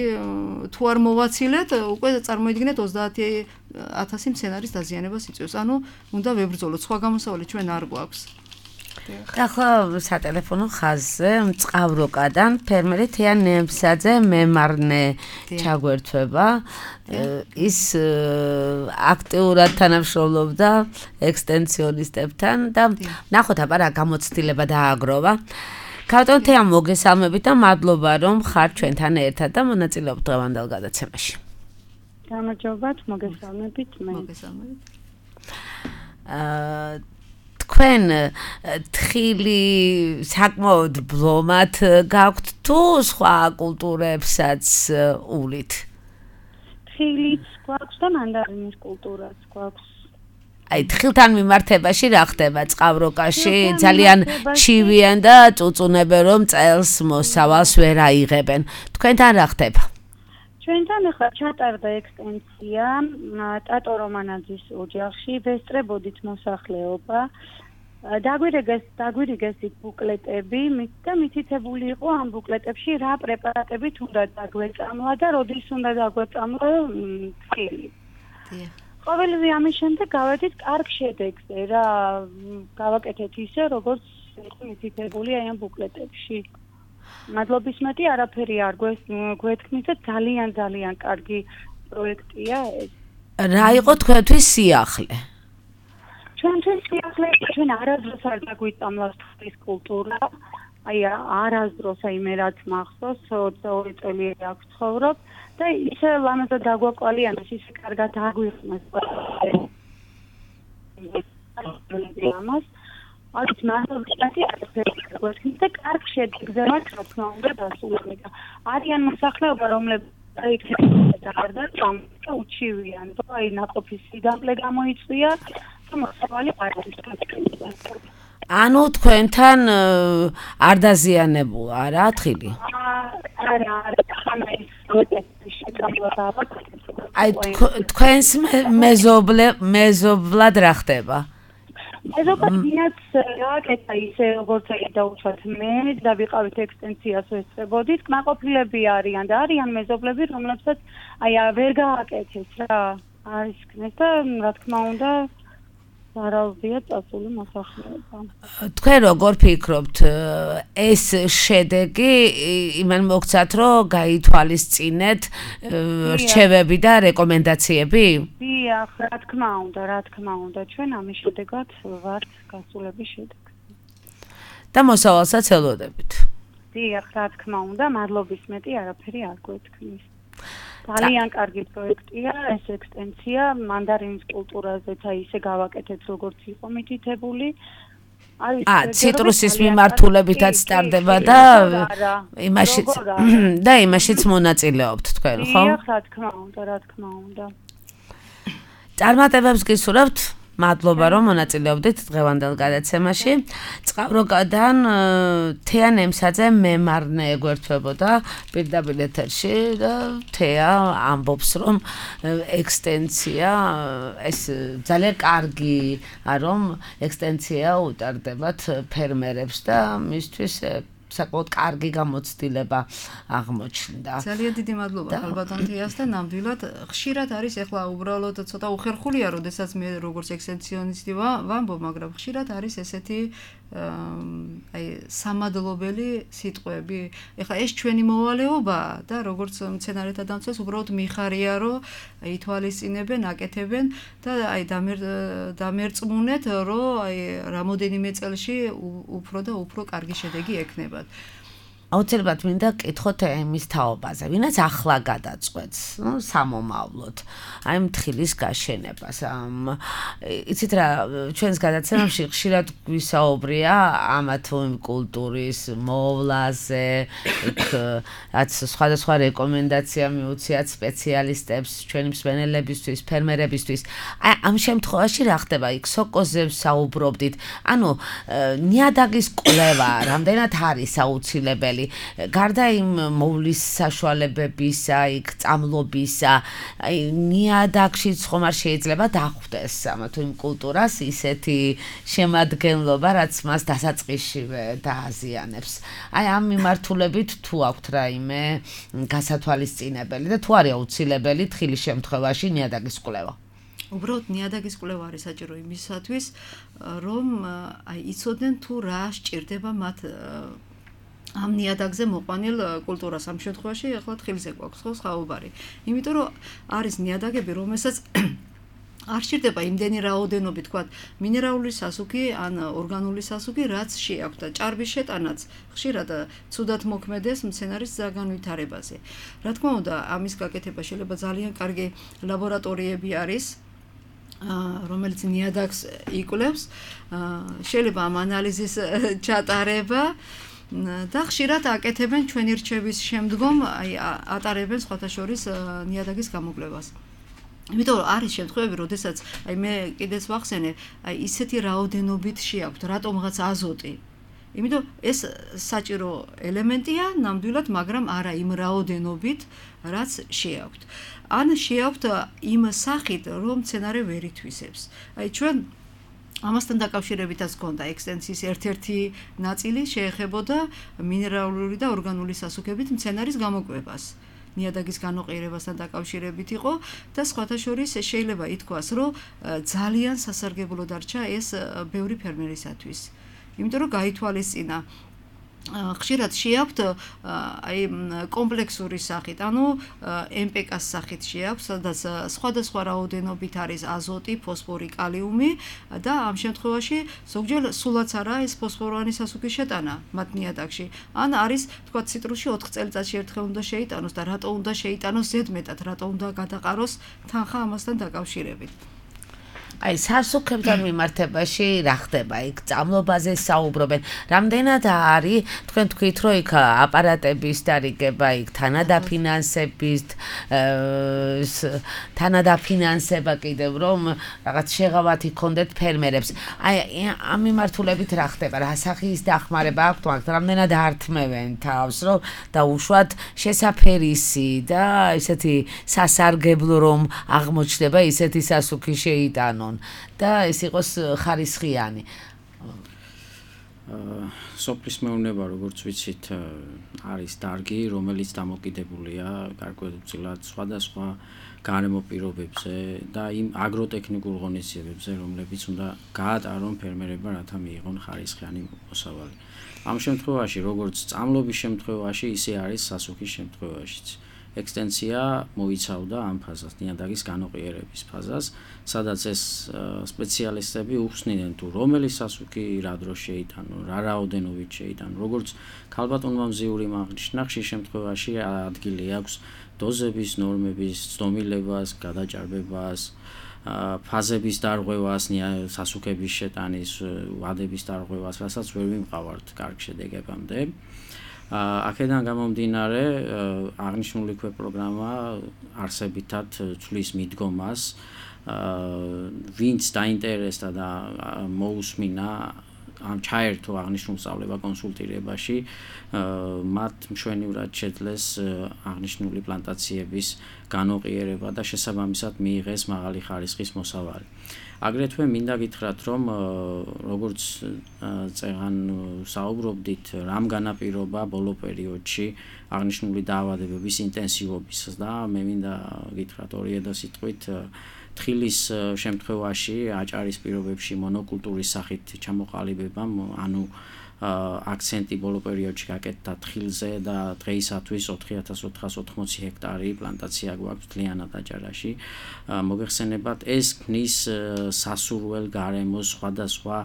თუ არ მოვაცილეთ, უკვე წარმოიდგინეთ ოცდაათი ათასი მცენარის დაზიანებას იწვევს. ანუ უნდა ვებრძოლოთ, სხვა გამოსავალი ჩვენ არ გვაქვს. ახლა სატელეფონო ხაზზე მწყავროკადან ფერმერი თიან ნემსაძე მემარნე ჩაგვერთვება. ის აქტიურად თანამშრომლობდა ექსტენსიონისტებთან და ნახოთ აბა რა გამოცდილება დააგროვა. ქალბატონ თეამ მოგესალმებით და მადლობა რომ ხარ ჩვენთან ერთად და მონაწილეობთ დღევანდელ გადაცემაში. გამარჯობათ, მოგესალმებით, მე. მოგესალმებით. აა თქვენ თხილი საკმაოდ ბლომად გაქვთ თუ სხვა კულტურებსაც ულით? თხილიც გვაქვს და მანდარინის კულტურაც გვაქვს. აი თხილთან მიმართებაში რა ხდება წყავროკაში? ძალიან ჩივიან და წუწუნებენ რომ წელს მოსავალს ვერ აიღებენ. თქვენთან რა ხდება? ჩვენთან ახლა ჩატარდა ექსტენსია ტატო რომანაძის ოჯახში, ვესწრებოდით მოსახლეობა. დაგვირიგეს დაგვირიგეს ბუკლეტები, და მითითებული იყო ამ ბუკლეტებში რა პრეპარატებით უნდა დაგვეწამლა და როდის უნდა დაგვეწამლა თხილი. ყოველივე ამის შემდეგ გავედით კარგ შედეგზე რა, გავაკეთეთ ისე, როგორც იყო მითითებული აი ამ ბუკლეტებში. მადლობის მეტი არაფერი არ გვეთქმით და ძალიან ძალიან კარგი პროექტია ეს. რა იყო თქვენთვის სიახლე? ჩვენთვის სიახლე, ჩვენ არასდროს არ დაგვიწამლა თხილის კულტურა. აი არასდროს აი მე რაც მახსოვს, ოცდაორი წელი აქვს ცხოვრობ და ისე ლამაზად დაგვაკვალიანეს, ისე კარგად აგვიხმეს. ამას არის მართლაც არის და კარგ შედეგზე მათ რა თქმა უნდა დასულები და არიან მოსახლეობა რომლებიც დაიხერხა და უჩივიან და აი ნაყოფის სიდამპლე გამოიწვია და მოსავალი არ არის. ანუ თქვენთან არ დაზიანებულა რა თხილი? არა, არა, ხანა ის აი თქვენს მეზობლე მეზობლად რა ხდება? მეზობლად გააკეთა ისე როგორც აი დაუშვათ მე და ვიყავით ექსტენსიას ვესწრებოდით, კმაყოფილები არიან და არიან მეზობლები, რომლებსაც აი ვერ გააკეთეს რა არის ქნეს და რა თქმა უნდა ზარალზეა წასული მოსახლეობა. თქვენ როგორ ფიქრობთ, ეს შედეგი იმან მოგცათ, რომ გაითვალისწინეთ რჩევები და რეკომენდაციები? დიახ, რა თქმა უნდა, რა თქმა უნდა, ჩვენ ამის შედეგად ვართ გასულების შედეგს. და მოსავალსაც ელოდებით. დიახ, რა თქმა უნდა, მადლობის მეტი არაფერი არ გვეთქმის. ძალიან კარგი პროექტია ეს ექსტენსია მანდარინის კულტურაზეც აი ისე გავაკეთეთ როგორც იყო მითითებული. აა ციტრუსის მიმართულებითაც სტარდება და იმაში და იმაშიც მონაწილეობთ თქვენ, ხო? დიახ, რა თქმა უნდა, რა თქმა უნდა. წარმატებებს გისურვებთ. მადლობა რომ მონაწილეობდით დღევანდელ გადაცემაში. წყავროკადან თეა ნემსაძე მემარნე ეგვერთვებოდა პირდაპირ ეთერში და თეა ამბობს რომ ექსტენსია ეს ძალიან კარგი რომ ექსტენსია უტარდებათ ფერმერებს და მისთვის საკმაოდ კარგი გამოცდილება აღმოჩნდა. ძალიან დიდი მადლობა ხალბატონ თეას და ნამდვილად ხშირად არის ეხლა უბრალოდ ცოტა უხერხულია, როდესაც მე როგორც ექსტენსიონისტი ვამბობ, მაგრამ ხშირად არის ესეთი აი სამადლობელი სიტყვები. ეხლა ეს ჩვენი მოვალეობაა და როგორც მცენარეთა დამცველს უბრალოდ მიხარია, რომ ითვალისწინებენ, აკეთებენ და აი დამერწმუნეთ, რომ აი რამოდენიმე წელში უფრო და უფრო კარგი შედეგი ექნებათ. აუცილებლად მინდა კითხოთ ემის თაობაზე, ვინაც ახლა გადაწყვეტს, ნუ სამომავლოდ, აი მთხილის გაშენებას. იცით რა, ჩვენს გადაცემებში ხშირად გვისაუბრია ამა თუ იმ კულტურის მოვლაზე, იქ რაც სხვადასხვა რეკომენდაცია მიუციათ სპეციალისტებს, ჩვენი მსმენელებისთვის, ფერმერებისთვის. აი ამ შემთხვევაში რა ხდება? იქ სოკოზე საუბრობდით. ანუ ნიადაგის კვლევა რამდენად არის აუცილებელი? გარდა იმ მოვლის საშუალებებისა, იქ წამლობისა, აი ნიადაგშიც ხომ არ შეიძლება დახვდეს ამა თუ იმ კულტურას ისეთი შემადგენლობა, რაც მას დასაწყისშივე დააზიანებს. აი ამ მიმართულებით თუ აქვთ რაიმე გასათვალისწინებელი და თუ არის აუცილებელი თხილის შემთხვევაში ნიადაგის კვლევა? უბრალოდ ნიადაგის კვლევა არის საჭირო იმისათვის, რომ აი იცოდნენ თუ რა სჭირდება მათ ამ ნიადაგზე მოყვანილ კულტურას. ამ შემთხვევაში ახლა თხილზე გვაქვს ხო საუბარი. იმიტომ რომ არის ნიადაგები, რომელსაც არ სჭირდება იმდენი რაოდენობით, თქვათ, მინერალური სასუქი ან ორგანული სასუქი, რაც შეაქვთ და ჭარბის შეტანაც ხშირად ცუდად მოქმედეს მცენარის განვითარებაზე. რა თქმა უნდა, ამის გაკეთება შეიძლება ძალიან კარგი ლაბორატორიები არის, რომელიც ნიადაგს იკვლევს, შეიძლება ამ ანალიზის ჩატარება და ხშირად აკეთებენ ჩვენი რჩევის შემდგომ, აი ატარებენ სხვათა შორის ნიადაგის გამოკვლევას. იმიტომ რომ არის შემთხვევები, როდესაც აი მე კიდეც ვახსენე, აი ისეთი რაოდენობით შეაქვთ, რატომღაც აზოტი. იმიტომ ეს საჭირო ელემენტია ნამდვილად, მაგრამ არა იმ რაოდენობით, რაც შეაქვთ. ან შეაქვთ იმ სახით, რომ მცენარე ვერ ითვისებს. აი ჩვენ ამასთან დაკავშირებითაც გქონდა ექსტენსიის ერთ-ერთი ნაწილი შეეხებოდა მინერალური და ორგანული სასუქებით მცენარის გამოკვლევას. ნიადაგის განოყიერებასთან დაკავშირებით იყო და სხვათა შორის შეიძლება ითქვას, რომ ძალიან სასარგებლო დარჩა ეს ბევრი ფერმერისათვის. იმიტომ რომ გაითვალისწინა ხშირად შეაქვთ აი კომპლექსური სახით, ანუ ემ პე კას სახით შეაქვთ, სადაც სხვადასხვა რაოდენობით არის აზოტი, ფოსფორი, კალიუმი და ამ შემთხვევაში ზოგჯერ სულაც არა ეს ფოსფოროვანი სასუქის შეტანა მათ ნიადაგში. ან არის, თქვა, ციტრუსში ოთხ წელიწადში ერთხელ უნდა შეიტანოს და რატო უნდა შეიტანოს ზედმეტად, რატო უნდა გადაყაროს თანხა ამასთან დაკავშირებით. აი სასუქებთან მიმართებაში რა ხდება? იქ წამლობაზე საუბრობენ. რამდენად არის თქვენ თქვით, რომ იქ აპარატების დარიგება, იქ თანადაფინანსების თანადაფინანსება კიდევ რომ რაღაც შეღავათი ქონდეთ ფერმერებს. აი ამ მიმართულებით რა ხდება? რა სახის დახმარება აქვთ მაგათ? რამდენად ართმევენ თავს, რომ დაუშვათ შესაფერისი და ისეთი სასარგებლო რომ აღმოჩნდება ისეთი სასუქი შეიტანონ. და ეს იყოს ხარისხიანი. სოფლის მეურნეობა, როგორც ვიცით, არის დარგი, რომელიც დამოკიდებულია გარკვეულწილად სხვადასხვა გარემო პირობებზე და იმ აგროტექნიკურ ღონისძიებებზე, რომლებიც უნდა გაატარონ ფერმერებმა, რათა მიიღონ ხარისხიანი მოსავალი. ამ შემთხვევაში, როგორც წამლობის შემთხვევაში, ისე არის სასუქის შემთხვევაშიც. ექსტენსია მოიცავდა ამ ფაზას, ნიადაგის განოყიერების ფაზას, სადაც ეს სპეციალისტები უხსნიდნენ თუ რომელი სასუქი რა დროს შეიტანო, რა რაოდენობით შეიტანო, როგორც ქალბატონმა მზიური აღნიშნა, ხშირ შემთხვევაში ადგილი აქვს დოზების, ნორმების, ცდომილებას, გადაჭარბებას, ფაზების დარღვევას, სასუქების შეტანის, ვადების დარღვევას, რასაც ვერ ვიმყავართ კარგ შედეგებამდე. აქედან გამომდინარე, აღნიშნული ქვეპროგრამა არსებითად ცვლის მიდგომას, ვინც დაინტერესდა და მოусმინა ამ ჩაერთო აღნიშნულ სწავლება კონსულტირებაში, მათ მშვენივრად შეძლეს აღნიშნული პლანტაციების განოყიერება და შესაბამისად მიიღეს მაღალი ხარისხის მოსავალი. აგრეთვე მინდა გითხრათ, რომ როგორც წეღან საუბრობდით, რამ განაპირობა ბოლო პერიოდში აღნიშნული დაავადებების ინტენსივობის და მე მინდა გითხრათ ორი ედა სიტყვით თხილის შემთხვევაში აჭარის პირობებში მონოკულტურის სახით ჩამოყალიბებამ, ანუ აქცენტი ბოლო პერიოდში გაკეთდა თხილზე და დღეისათვის ოთხი ათას ოთხას ოთხმოცი ჰექტარი პლანტაცია გვაქვს მთლიანად აჭარაში. მოგეხსენებათ, ეს ქმნის სასურველ გარემოს სხვადასხვა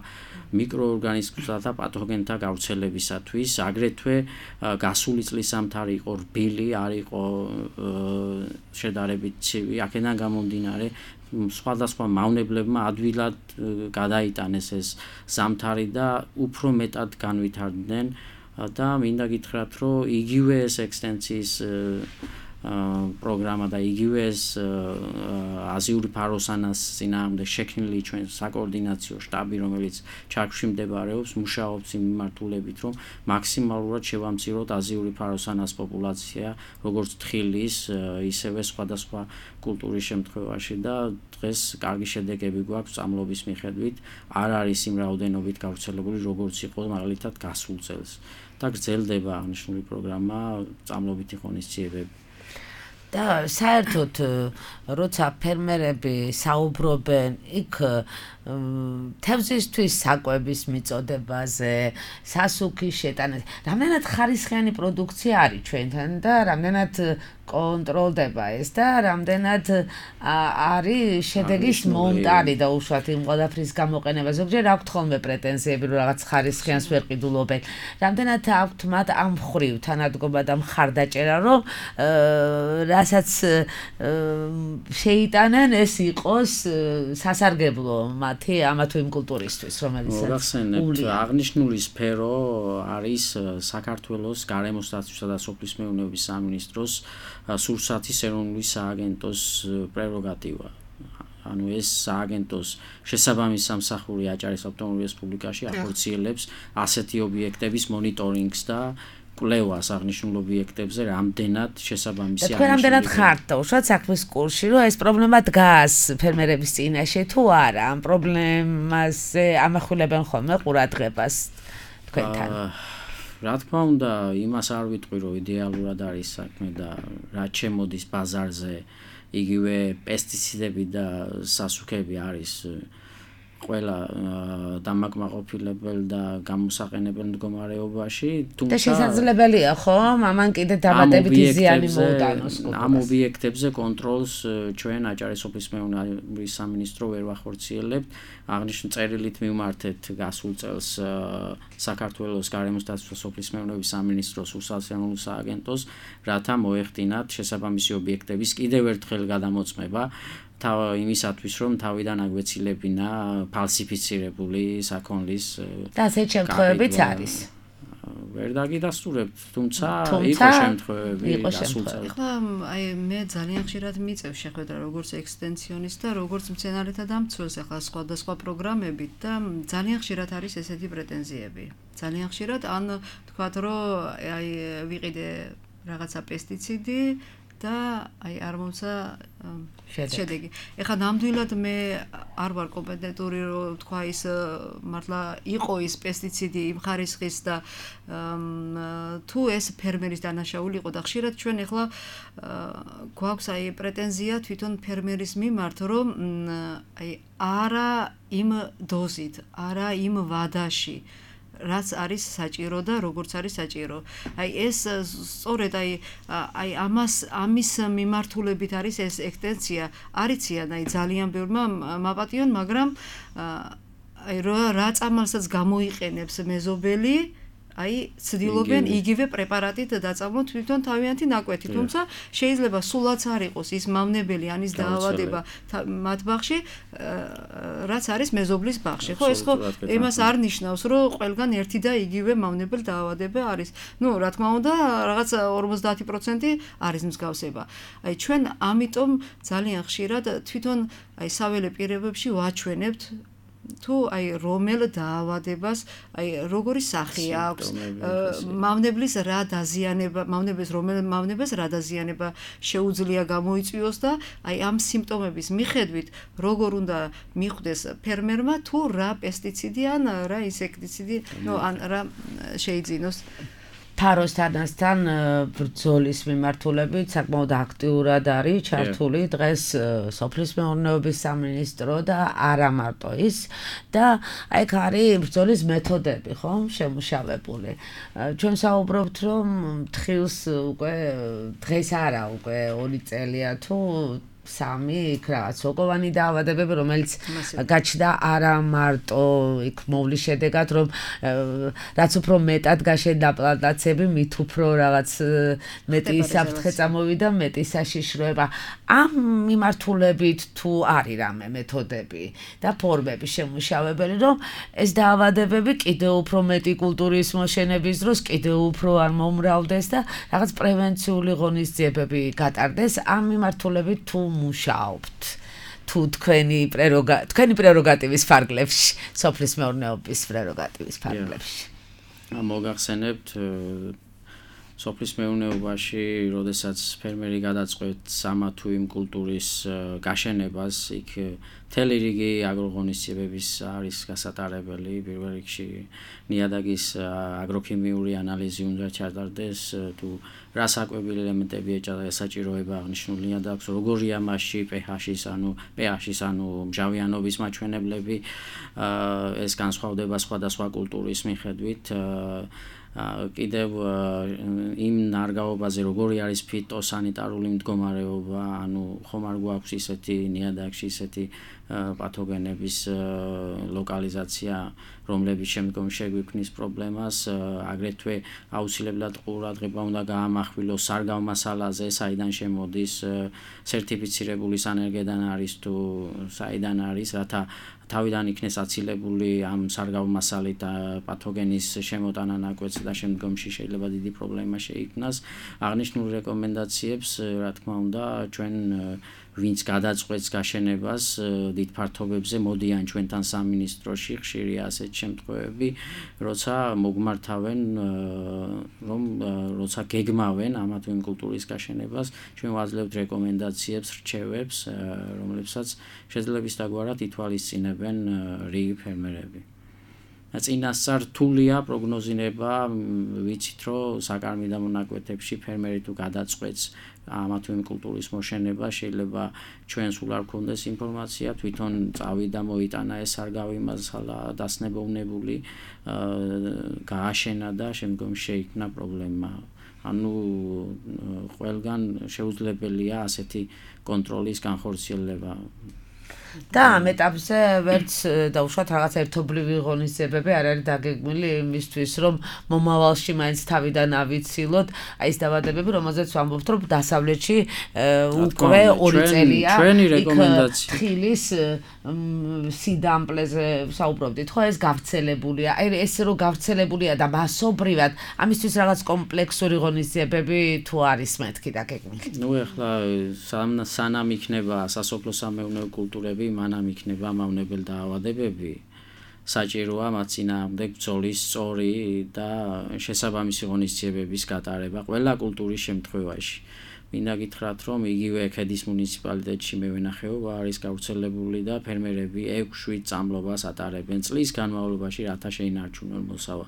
მიკროორგანიზმთა და პათოგენთა გავრცელებისათვის, აგრეთვე გასული წლის ზამთარი იყო რბილი, არ იყო შედარებით ცივი, აქედან გამომდინარე სხვადასხვა მავნებლებმა ადვილად გადაიტანეს ეს ზამთარი და უფრო მეტად განვითარდნენ და მინდა გითხრათ, რომ იგივე ეს ექსტენსიის პროგრამა და იგივე ეს აზიური ფაროსანას წინააღმდეგ შექმნილი ჩვენ საკოორდინაციო შტაბი, რომელიც ჩარქვში მდებარეობს, მუშაობს იმ მიმართულებით, რომ მაქსიმალურად შევამციროთ აზიური ფაროსანას პოპულაცია, როგორც თხილის, ისევე სხვადასხვა კულტურის შემთხვევაში და დღეს კარგი შედეგები გვაქვს წამლობის მიხედვით, არ არის იმ რაოდენობით გავრცელებული, როგორც იყო მაგალითად გასულ წელს და გრძელდება აღნიშნული პროგრამა წამლობითი ღონისძიებები. და საერთოდ როცა ფერმერები საუბრობენ იქ თევზისთვის საკვების მიწოდებაზე, სასუქის შეტანაზე, რამდენად ხარისხიანი პროდუქცია არის ჩვენთან და რამდენად კონტროლდება ეს და რამდენად არის შედეგის მომტანი და უშუალოდ იმ ყველაფრის გამოყენება. ზოგჯერ აქვთ ხოლმე პრეტენზიები, რომ რაღაც ხარისხიანს ვერ ყიდულობენ. რამდენად აქვთ მათ ამ ხრივ თანადგომა და მხარდაჭერა, რომ რასაც შეიტანენ ეს იყოს სასარგებლო მათი ამა თუ იმ კულტურისთვის, რომელიცაც მოგახსენებთ, აღნიშნული სფერო არის საქართველოს გარემოს დაცვისა და სოფლის მეურნეობის სამინისტროს სურსათის ეროვნული სააგენტოს პრეროგატივა. ანუ ეს სააგენტოს შესაბამის სამსახური აჭარის ავტონომურ რესპუბლიკაში ახორციელებს ასეთი ობიექტების მონიტორინგს და კვლევას აღნიშნულ ობიექტებზე, რამდენად შესაბამისი აღნიშნული. თქვენ რამდენად ხართ და უშუალოდ საქმის კურსში, რომ ეს პრობლემა დგას ფერმერების წინაშე თუ არა, ამ პრობლემაზე ამახვილებენ ხოლმე ყურადღებას თქვენთან. რა თქმა უნდა, იმას არ ვიტყვი, რომ იდეალურად არის საქმე და რაც შემოდის ბაზარზე, იგივე პესტიციდები და სასუქები არის ყველა დამაკმაყოფილებელ და გამოსაყენებელ მდგომარეობაში, თუმცა და შესაძლებელია ხომ ამან კიდე დამატებითი ზიანი მოუტანოს. ამ ობიექტებზე კონტროლს ჩვენ აჭარის სოფლის მეურნეობის სამინისტრო ვერ ვახორციელებთ. აღნიშნულ წერილით მივმართეთ გასულ წელს საქართველოს გარემოს დაცვის სოფლის მეურნეობის სამინისტროს უსასიანო სააგენტოს, რათა მოეხდინათ შესაბამისი ობიექტების კიდევ ერთხელ გადამოწმება. იმისათვის, რომ თავიდან აგვეცილებინა ფალსიფიცირებული საქონლის და ასეთ შემთხვევებიც არის. ვერ დაგიდასტურებთ, თუმცა იყო შემთხვევები გასულ წელს. ახლა აი მე ძალიან ხშირად მიწევ შეხვედრა როგორც ექსტენსიონის და როგორც მცენარეთა დამცველს ახლა სხვადასხვა პროგრამებით და ძალიან ხშირად არის ესეთი პრეტენზიები. ძალიან ხშირად ან თქვათ, რომ აი ვიყიდე რაღაცა პესტიციდი და აი არ მომცა შედეგი. ეხლა ნამდვილად მე არ ვარ კომპეტენტური რომ თქვა ის მართლა იყო ის პესტიციდი იმ ხარისხის და თუ ეს ფერმერის დანაშაული იყო და ხშირად ჩვენ ახლა გვაქვს აი პრეტენზია თვითონ ფერმერის მიმართ, რომ აი არა იმ დოზით, არა იმ ვადაში რაც არის საჭირო და როგორც არის საჭირო. აი ეს სწორედ აი აი ამას ამის მიმართულებით არის ეს ექსტენსია. არიციან აი ძალიან ბევრმა მაპატიონ, მაგრამ აი რა წამალსაც გამოიყენებს მეზობელი, აი ცდილობენ იგივე პრეპარატით დაწამოთ თვითონ თავიანთი ნაკვეთი, თუმცა შეიძლება სულაც არ იყოს ის მავნებელი ან ის დაავადება მათ ბაღში, რაც არის მეზობლის ბაღში. ხო, ეს ხო იმას არ ნიშნავს, რომ ყველგან ერთი და იგივე მავნებელ დაავადება არის. ნუ, რა თქმა უნდა, რაღაც ორმოცდაათი პროცენტი არის მსგავსება. აი ჩვენ ამიტომ ძალიან ხშირად თვითონ აი საველე პირებებში ვაჩვენებთ თუ აი რომელ დაავადებას აი როგორი სახე აქვს მავნებლის რა დაზიანება მავნებლის რომელ მავნებას რა დაზიანება შეუძლია გამოიწვიოს და აი ამ სიმპტომების მიხედვით როგორ უნდა მიხვდეს ფერმერმა თუ რა პესტიციდი ან რა ინსექტიციდი ნუ ან რა შეიძინოს ფაროსთანასთან ბრძოლის მიმართულებით საკმაოდ აქტიურად არის ჩართული დღეს სოფლის მეურნეობის სამინისტრო და არა მარტო ის და აი აქ არის ბრძოლის მეთოდები, ხო, შემუშავებული. ჩვენ საუბრობთ, რომ თხილს უკვე დღეს არა, უკვე ორი წელია თუ სამი იქ რაღაც სოკოვანი დაავადებები, რომელიც გაჩნდა არა მარტო იქ მოვლის შედეგად, რომ რაც უფრო მეტად გაშენდა პლანტაციები, მით უფრო რაღაც მეტი საფრთხე წამოვიდა, მეტი საშიშროება. ამ მიმართულებით თუ არის რამე მეთოდები და ფორმები შემუშავებელი, რომ ეს დაავადებები კიდევ უფრო მეტი კულტურის მოშენების დროს კიდევ უფრო არ მომრავლდეს და რაღაც პრევენციული ღონისძიებები გატარდეს. ამ მიმართულებით თუ მუშაობთ თუ თქვენი პრეროგა თქვენი პრეროგატივის ფარგლებში სოფლის მეურნეობის პრეროგატივის ფარგლებში მოგახსენებთ სოფლის მეურნეობაში როდესაც ფერმერი გადაწყვეტს ამა თუ იმ კულტურის გაშენებას იქ მთელი რიგი აგროღონისძიებების არის გასატარებელი პირველ რიგში ნიადაგის აგროქიმიური ანალიზი უნდა ჩატარდეს თუ რა საკვებილი ელემენტები ესაჭიროება აღნიშნულ ნიადაგს როგორია მასში pH-ის ანუ pH-ის ანუ მჟავიანობის მაჩვენებლები ეს განსხვავდება სხვადასხვა კულტურის მიხედვით კიდევ იმ ნარგავობაზე როგორი არის ფიტოსანიტარული მდგომარეობა, ანუ ხომ არ გვაქვს ისეთი ნიადაგში ისეთი პათოგენების ლოკალიზაცია, რომლებიც შემდგომ შეგვიქმნის პრობლემას, აგრეთვე აუცილებლად ყურადღება უნდა გაამახვილოს სარგავ მასალაზე, საიდან შემოდის, სერტიფიცირებული სანერგედან არის თუ საიდან არის, რათა თავიდან იქნეს აცილებული ამ სარგავ მასალით პათოგენის შემოტანა ნაკვეთზე და შემდგომში შეიძლება დიდი პრობლემა შეიქმნას. აღნიშნულ რეკომენდაციებს, რა თქმა უნდა, ჩვენ ვინც გადაწყვეტს გაშენებას დიდ ფართობებზე მოდიან ჩვენთან სამინისტროში, ხშირია ასეთ შემთხვევები, როცა მოგმართავენ, რომ როცა გეგმავენ ამა თუ იმ კულტურის გაშენებას, ჩვენ ვაძლევთ რეკომენდაციებს, რჩევებს, რომლებსაც შეძლების დაგვარად ითვალისწინებენ რიგი ფერმერები. წინასწარ რთულია პროგნოზირება, ვიცით რომ საკარმი და მონაკვეთებში ფერმერი თუ გადაწყვეტს ამა თუ იმ კულტურის მოშენება, შეიძლება ჩვენ სულ არ გქონდეს ინფორმაცია, თვითონ წავიდა მოიტანა ეს სარგავი მასალა დასნებოვნებული, გააშენა და შემდგომ შეიქმნა პრობლემა. ანუ ყველგან შეუძლებელია ასეთი კონტროლის განხორციელება. და ამ ეტაპზე ვერც დაუშვათ რაღაც ერთობლივი ღონისძიებები არ არის დაგეგმილი იმისთვის, რომ მომავალში მაინც თავიდან ავიცილოთ აი ეს დაავადებები, რომელზეც ვამბობთ, რომ დასავლეთში უკვე ორი წელია იქ თხილის სიდამპლეზე საუბრობდით, ხო, ეს გავრცელებულია. აი ეს რო გავრცელებულია და მასობრივად ამისთვის რაღაც კომპლექსური ღონისძიებები თუ არის მეთქი დაგეგმილი. ნუ ეხლა სანამ იქნება სასოფლო სამეურნეო კულტურები მანამ იქნება მავნებელ დაავადებები საჭიროა მათ წინააღმდეგ ბრძოლის სწორი და შესაბამისი ღონისძიებების გატარება ყველა კულტურის შემთხვევაში. მინდა გითხრათ, რომ იგივე ქედის მუნიციპალიტეტში მევენახეობა არის გავრცელებული და ფერმერები ექვს შვიდ წამლობას ატარებენ წლის განმავლობაში, რათა შეინარჩუნონ მოსავა.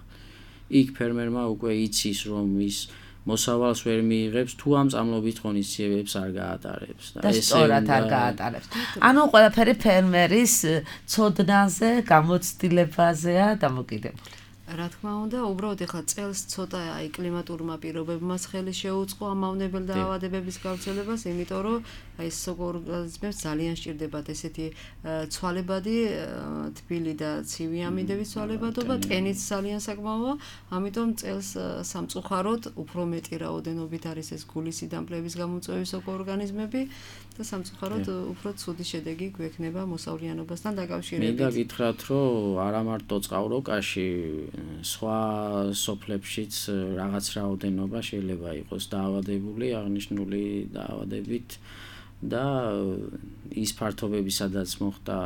იქ ფერმერმა უკვე იცის რომ ის მოსავალს ვერ მიიღებს თუ ამ წამლობით ღონისძიებებს არ გაატარებს და სწორად არ გაატარებს. ანუ ყველაფერი ფერმერის ცოდნაზე, გამოცდილებაზეა დამოკიდებული. რა თქმა უნდა, უბრალოდ ეხლა წელს ცოტა აი კლიმატურმა პირობებმაც ხელი შეუწყო ამ მავნებელ დაავადებების გავრცელებას, იმიტომ რომ აი სოკოორგანიზმებს ძალიან სჭირდებათ ესეთი ცვალებადი, თბილი და ცივი ამინდების ცვალებადობა, ტენიც ძალიან საკმაოა, ამიტომ წელს სამწუხაროდ უფრო მეტი რაოდენობით არის ეს გულის სიდამპლეების გამომწვევი სოკოორგანიზმები და სამწუხაროდ უფრო ცუდი შედეგი გვექნება მოსავლიანობასთან დაკავშირებით. მინდა გითხრათ, რომ არა მარტო წყავროკაში სხვა სოფლებშიც რაღაც რაოდენობა შეიძლება იყოს დაავადებული, აღნიშნული დაავადებით და ის ფართობები, სადაც მოხდა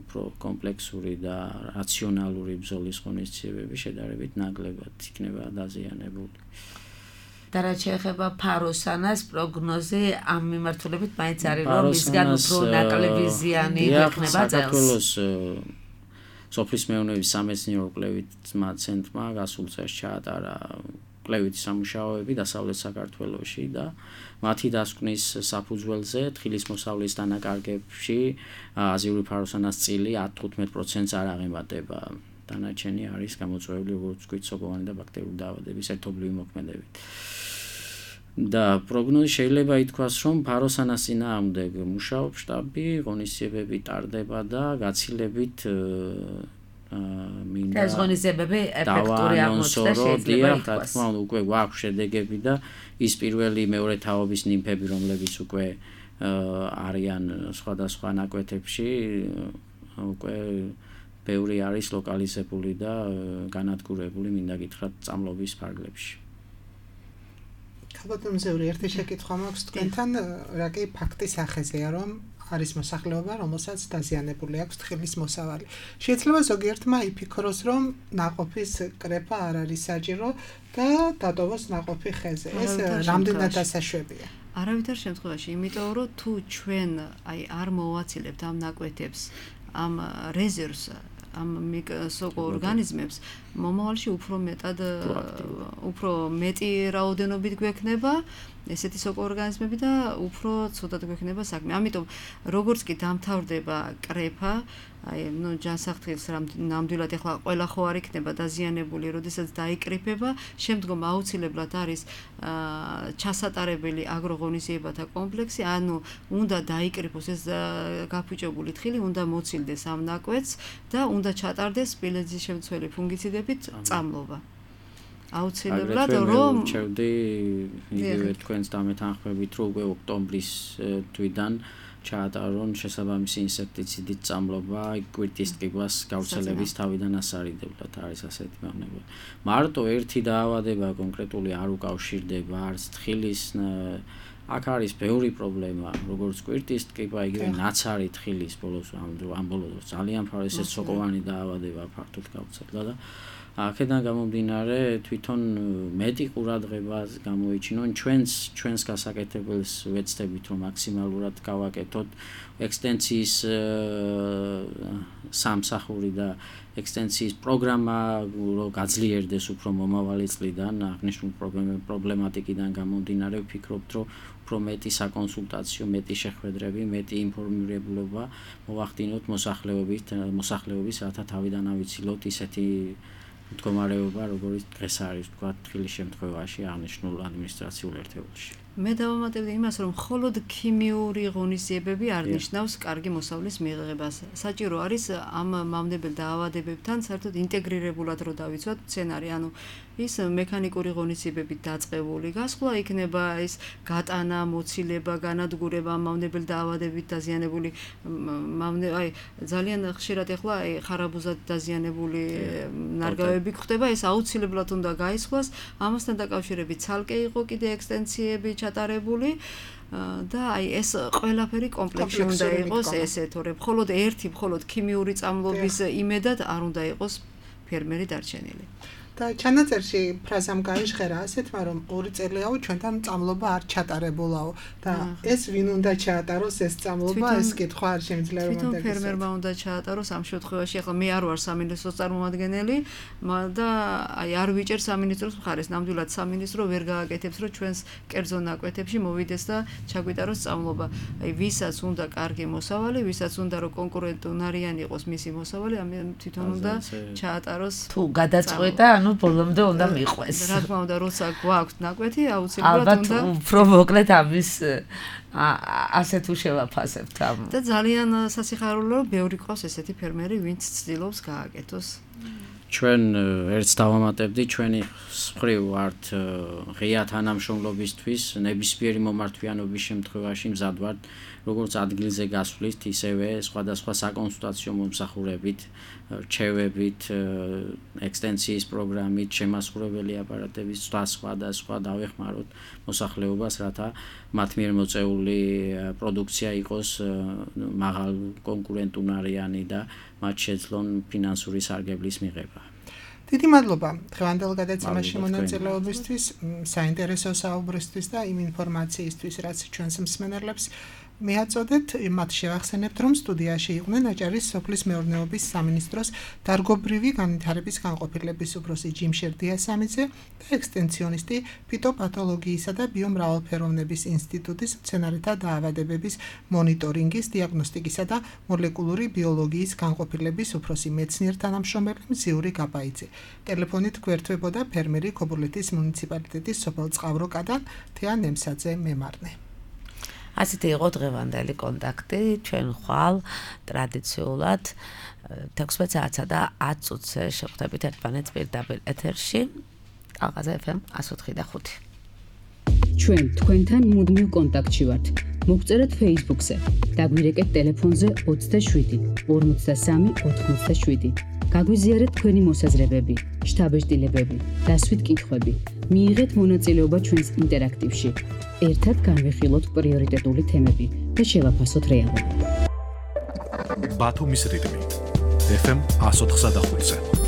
უფრო კომპლექსური და რაციონალური ბრძოლის ღონისძიებები შედარებით ნაკლებად იქნება დაზიანებული. და რაც შეეხება ფაროსანას პროგნოზი ამ მიმართულებით მაინც არის რომ მისგან უფრო ნაკლები ზიანი გვექნება წელს. სოფლის მეურნეობის სამეცნიერო კვლევითმა ცენტრმა გასულ წელს ჩაატარა კვლევითი სამუშაოები დასავლეთ საქართველოში და მათი დასკვნის საფუძველზე თხილის მოსავლის დანაკარგებში აზიური ფაროსანას წილი ათ თხუთმეტ პროცენტს არ აღემატება. დანარჩენი არის გამოწვეული როგორც ვთქვით სოკოვანი და ბაქტერიული დაავადების ერთობლივი მოქმედებით. და პროგნოზი შეიძლება ითქვას, რომ ფაროსანას წინააღმდეგ მუშაობს შტაბი, ღონისძიებები ტარდება და გაცილებით მინდა ეს ღონისძიებები ეფექტური აღმოჩნდა შეიძლება ითქვას. რა თქმა უნდა, უკვე გვაქვს შედეგები და ის პირველი მეორე თაობის ნიმფები, რომლებიც უკვე არიან სხვადასხვა ნაკვეთებში, უკვე ბევრი არის ლოკალიზებული და განადგურებული, მინდა გითხრათ, წამლობის ფარგლებში. ქალბატონ მზევრი, ერთი შეკითხვა მაქვს თქვენთან, რა კი ფაქტის ახეზეა, რომ არის მოსახლეობა, რომელსაც დაზიანებული აქვს თხილის მოსავალი. შეიძლება ზოგიერთმა იფიქროს, რომ ნაყოფის კრეფა არ არის საჭირო და დატოვოს ნაყოფი ხეზე. ეს რამდენად დასაშვებია? არავითარ შემთხვევაში, იმიტომ რომ თუ ჩვენ აი არ მოვაცილებთ ამ ნაკვეთებს, ამ რეზერვს, ამ სოკოორგანიზმებს, მომავალში უფრო მეტად უფრო მეტი რაოდენობით გვექნება ესეთი სოკოორგანიზმები და უფრო ცუდად გვექნება საქმე. ამიტომ როგორც კი დამთავრდება კრეფა, აი ნუ ჯანსაღთქოს ნამდვილად ეხლა ყველა ხო არ იქნება დაზიანებული, როდესაც დაიკრიფება, შემდგომ აუცილებლად არის ჩასატარებელი აგროღონისძიებათა კომპლექსი, ანუ უნდა დაიკრიფოს ეს გაფუჭებული თხილი, უნდა მოცილდეს ამ ნაკვეთს და უნდა ჩატარდეს სპილენძის შემცველი ფუნგიციდებით წამლობა. აუცილებლად რომ ჩევდი იგივე თქვენს დამეთანხმებით, რომ უკვე ოქტომბრის თვიდან ჩაატარონ შესაბამისი ინსექტიციდით წამლობა, კვირტის ტკივას გავრცელების თავიდან ასარიდებლად არის ასეთი მავნებელია. მარტო ერთი დაავადება კონკრეტული არ უკავშირდება არც თხილის, აქ არის ბევრი პრობლემა, როგორც კვირტის ტკივა, იგივე ნაცარი თხილის ბოლოს ამ ბოლოს ძალიან ფარეს ეს სოკოვანი დაავადება ფართოდ გავრცელდა და აქედან გამომდინარე თვითონ მეტი ყურადღება გამოიჩინონ ჩვენს ჩვენს გასაკეთებელს ვეცდებით რომ მაქსიმალურად გავაკეთოთ ექსტენციის სამსახური და ექსტენციის პროგრამა რომ გაძლიერდეს უფრო მომავალი წლიდან აღნიშნულ პრობლემატიკიდან გამომდინარე ვფიქრობთ რომ უფრო მეტი საკონსულტაციო, მეტი შეხვედრები, მეტი ინფორმირებულობა მოვახდინოთ მოსახლეობის მოსახლეობის რათა თავიდან ავიცილოთ ისეთი მდგომარეობა, როგორც დღეს არის, თქვა თხილის შემთხვევაში აღნიშნულ ადმინისტრაციულ ერთეულში. მე დავამატებდი იმას, რომ მხოლოდ ქიმიური ღონისძიებები არ ნიშნავს კარგი მოსავლის მიღებას. საჭირო არის ამ მავნებელ დაავადებებთან საერთოდ ინტეგრირებულად რო დავიცვათ მცენარე, ანუ ის მექანიკური ღონისძიებებით დაწყებული გასვლა იქნება ის გატანა, მოცილება, განადგურება მავნებელ დაავადებით დაზიანებული მავნე, აი ძალიან ხშირად ეხლა აი ხარაბუზად დაზიანებული ნარგავები გვხდება, ეს აუცილებლად უნდა გაისხლას, ამასთან დაკავშირებით ცალკე იყო კიდე ექსტენციები ჩატარებული და აი ეს ყველაფერი კომპლექსში უნდა იყოს ესე, თორემ მხოლოდ ერთი, მხოლოდ ქიმიური წამლობის იმედად არ უნდა იყოს ფერმერი დარჩენილი. და ჩანაწერში ფრაზამ გაიჟღერა ასეთმა, რომ ორი წელიაო ჩვენთან წამლობა არ ჩატარებულაო და ეს ვინ უნდა ჩაატაროს ეს წამლობა, ეს კითხვა არ შემიძლია რომ თვითონ ფერმერმა უნდა ჩაატაროს ამ შემთხვევაში. ახლა მე არ ვარ სამინისტროს წარმომადგენელი და აი არ ვიჭერ სამინისტროს მხარეს. ნამდვილად სამინისტრო ვერ გააკეთებს, რომ ჩვენს კერძო ნაკვეთებში მოვიდეს და ჩაგვიტაროს წამლობა. აი ვისაც უნდა კარგი მოსავალი, ვისაც უნდა რომ კონკურენტუნარიანი იყოს მისი მოსავალი, ამ თვითონ უნდა ჩაატაროს. თუ გადაწყვეტა, ანუ ბოლომდე უნდა მიყვეს. რა თქმა უნდა, როცა გვაქვს ნაკვეთი, აუცილებლად უნდა უფრო მოკლედ ამის ასე თუ შევაფასებთ ამ. და ძალიან სასიხარულოა, ბევრი ყავს ესეთი ფერმერი, ვინც ცდილობს გააკეთოს. ჩვენ ერთს დავამატებდი, ჩვენი მხრივ ვართ ღია თანამშრომლობისთვის, ნებისმიერი მომართვიანობის შემთხვევაში მზად ვართ, როგორც ადგილზე გასვლით, ისევე სხვადასხვა საკონსულტაციო მომსახურებით, რჩევებით, ექსტენსიის პროგრამით, შემასრულებელი აპარატების სხვა და სხვა დავეხმაროთ მოსახლეობას, რათა მათ მიერ მოწეული პროდუქცია იყოს მაღალ კონკურენტუნარიანი და მათ შეძლონ ფინანსური სარგებლის მიღება. დიდი მადლობა დღევანდელ გადაცემაში მონაწილეობისთვის, საინტერესო საუბრისთვის და იმ ინფორმაციისთვის, რაც ჩვენს მსმენელებს მიაწოდეთ. მათ შევახსენებთ, რომ სტუდიაში იყვნენ აჭარის სოფლის მეურნეობის სამინისტროს დარგობრივი განვითარების განყოფილების უფროსი ჯიმშერ დიასამიძე და ექსტენსიონისტი ფიტოპათოლოგიისა და ბიომრავალფეროვნების ინსტიტუტის მცენარეთა დაავადებების მონიტორინგის, დიაგნოსტიკისა და მოლეკულური ბიოლოგიის განყოფილების უფროსი მეცნიერ-თანამშრომელი მზიური გაბაიძე. ტელეფონით გვერდებოდა ფერმერი ქობულეთის მუნიციპალიტეტის სოფელ წყავროკადან თეა ნემსაძე მემარნე. ასეთი იყო დღევანდელი კონტაქტი, ჩვენ ხვალ ტრადიციულად თექვსმეტ საათსა და ათ წუთზე შევხვდებით ერთმანეთს პირდაპირ ეთერში. ალყაზე ეფ ემ εκατს ოთხი და ხუთი. ჩვენ თქვენთან მუდმივ კონტაქტში ვართ. მოგწერეთ Facebook-ზე, დაგვირეკეთ ტელეფონზე ოცდაშვიდი ორმოცდასამი ოთხმოცდაშვიდი. გაგვიზიარეთ თქვენი მოსაზრებები, შთაბეჭდილებები, დასვით კითხვები. მიიღეთ მონაწილეობა ჩვენს ინტერაქტივში. ერთად განვიხილოთ პრიორიტეტული თემები და შევაფასოთ რეალობა. ბათუმის რიტმი ეფ ემ εκατს ოთხი და ხუთზე.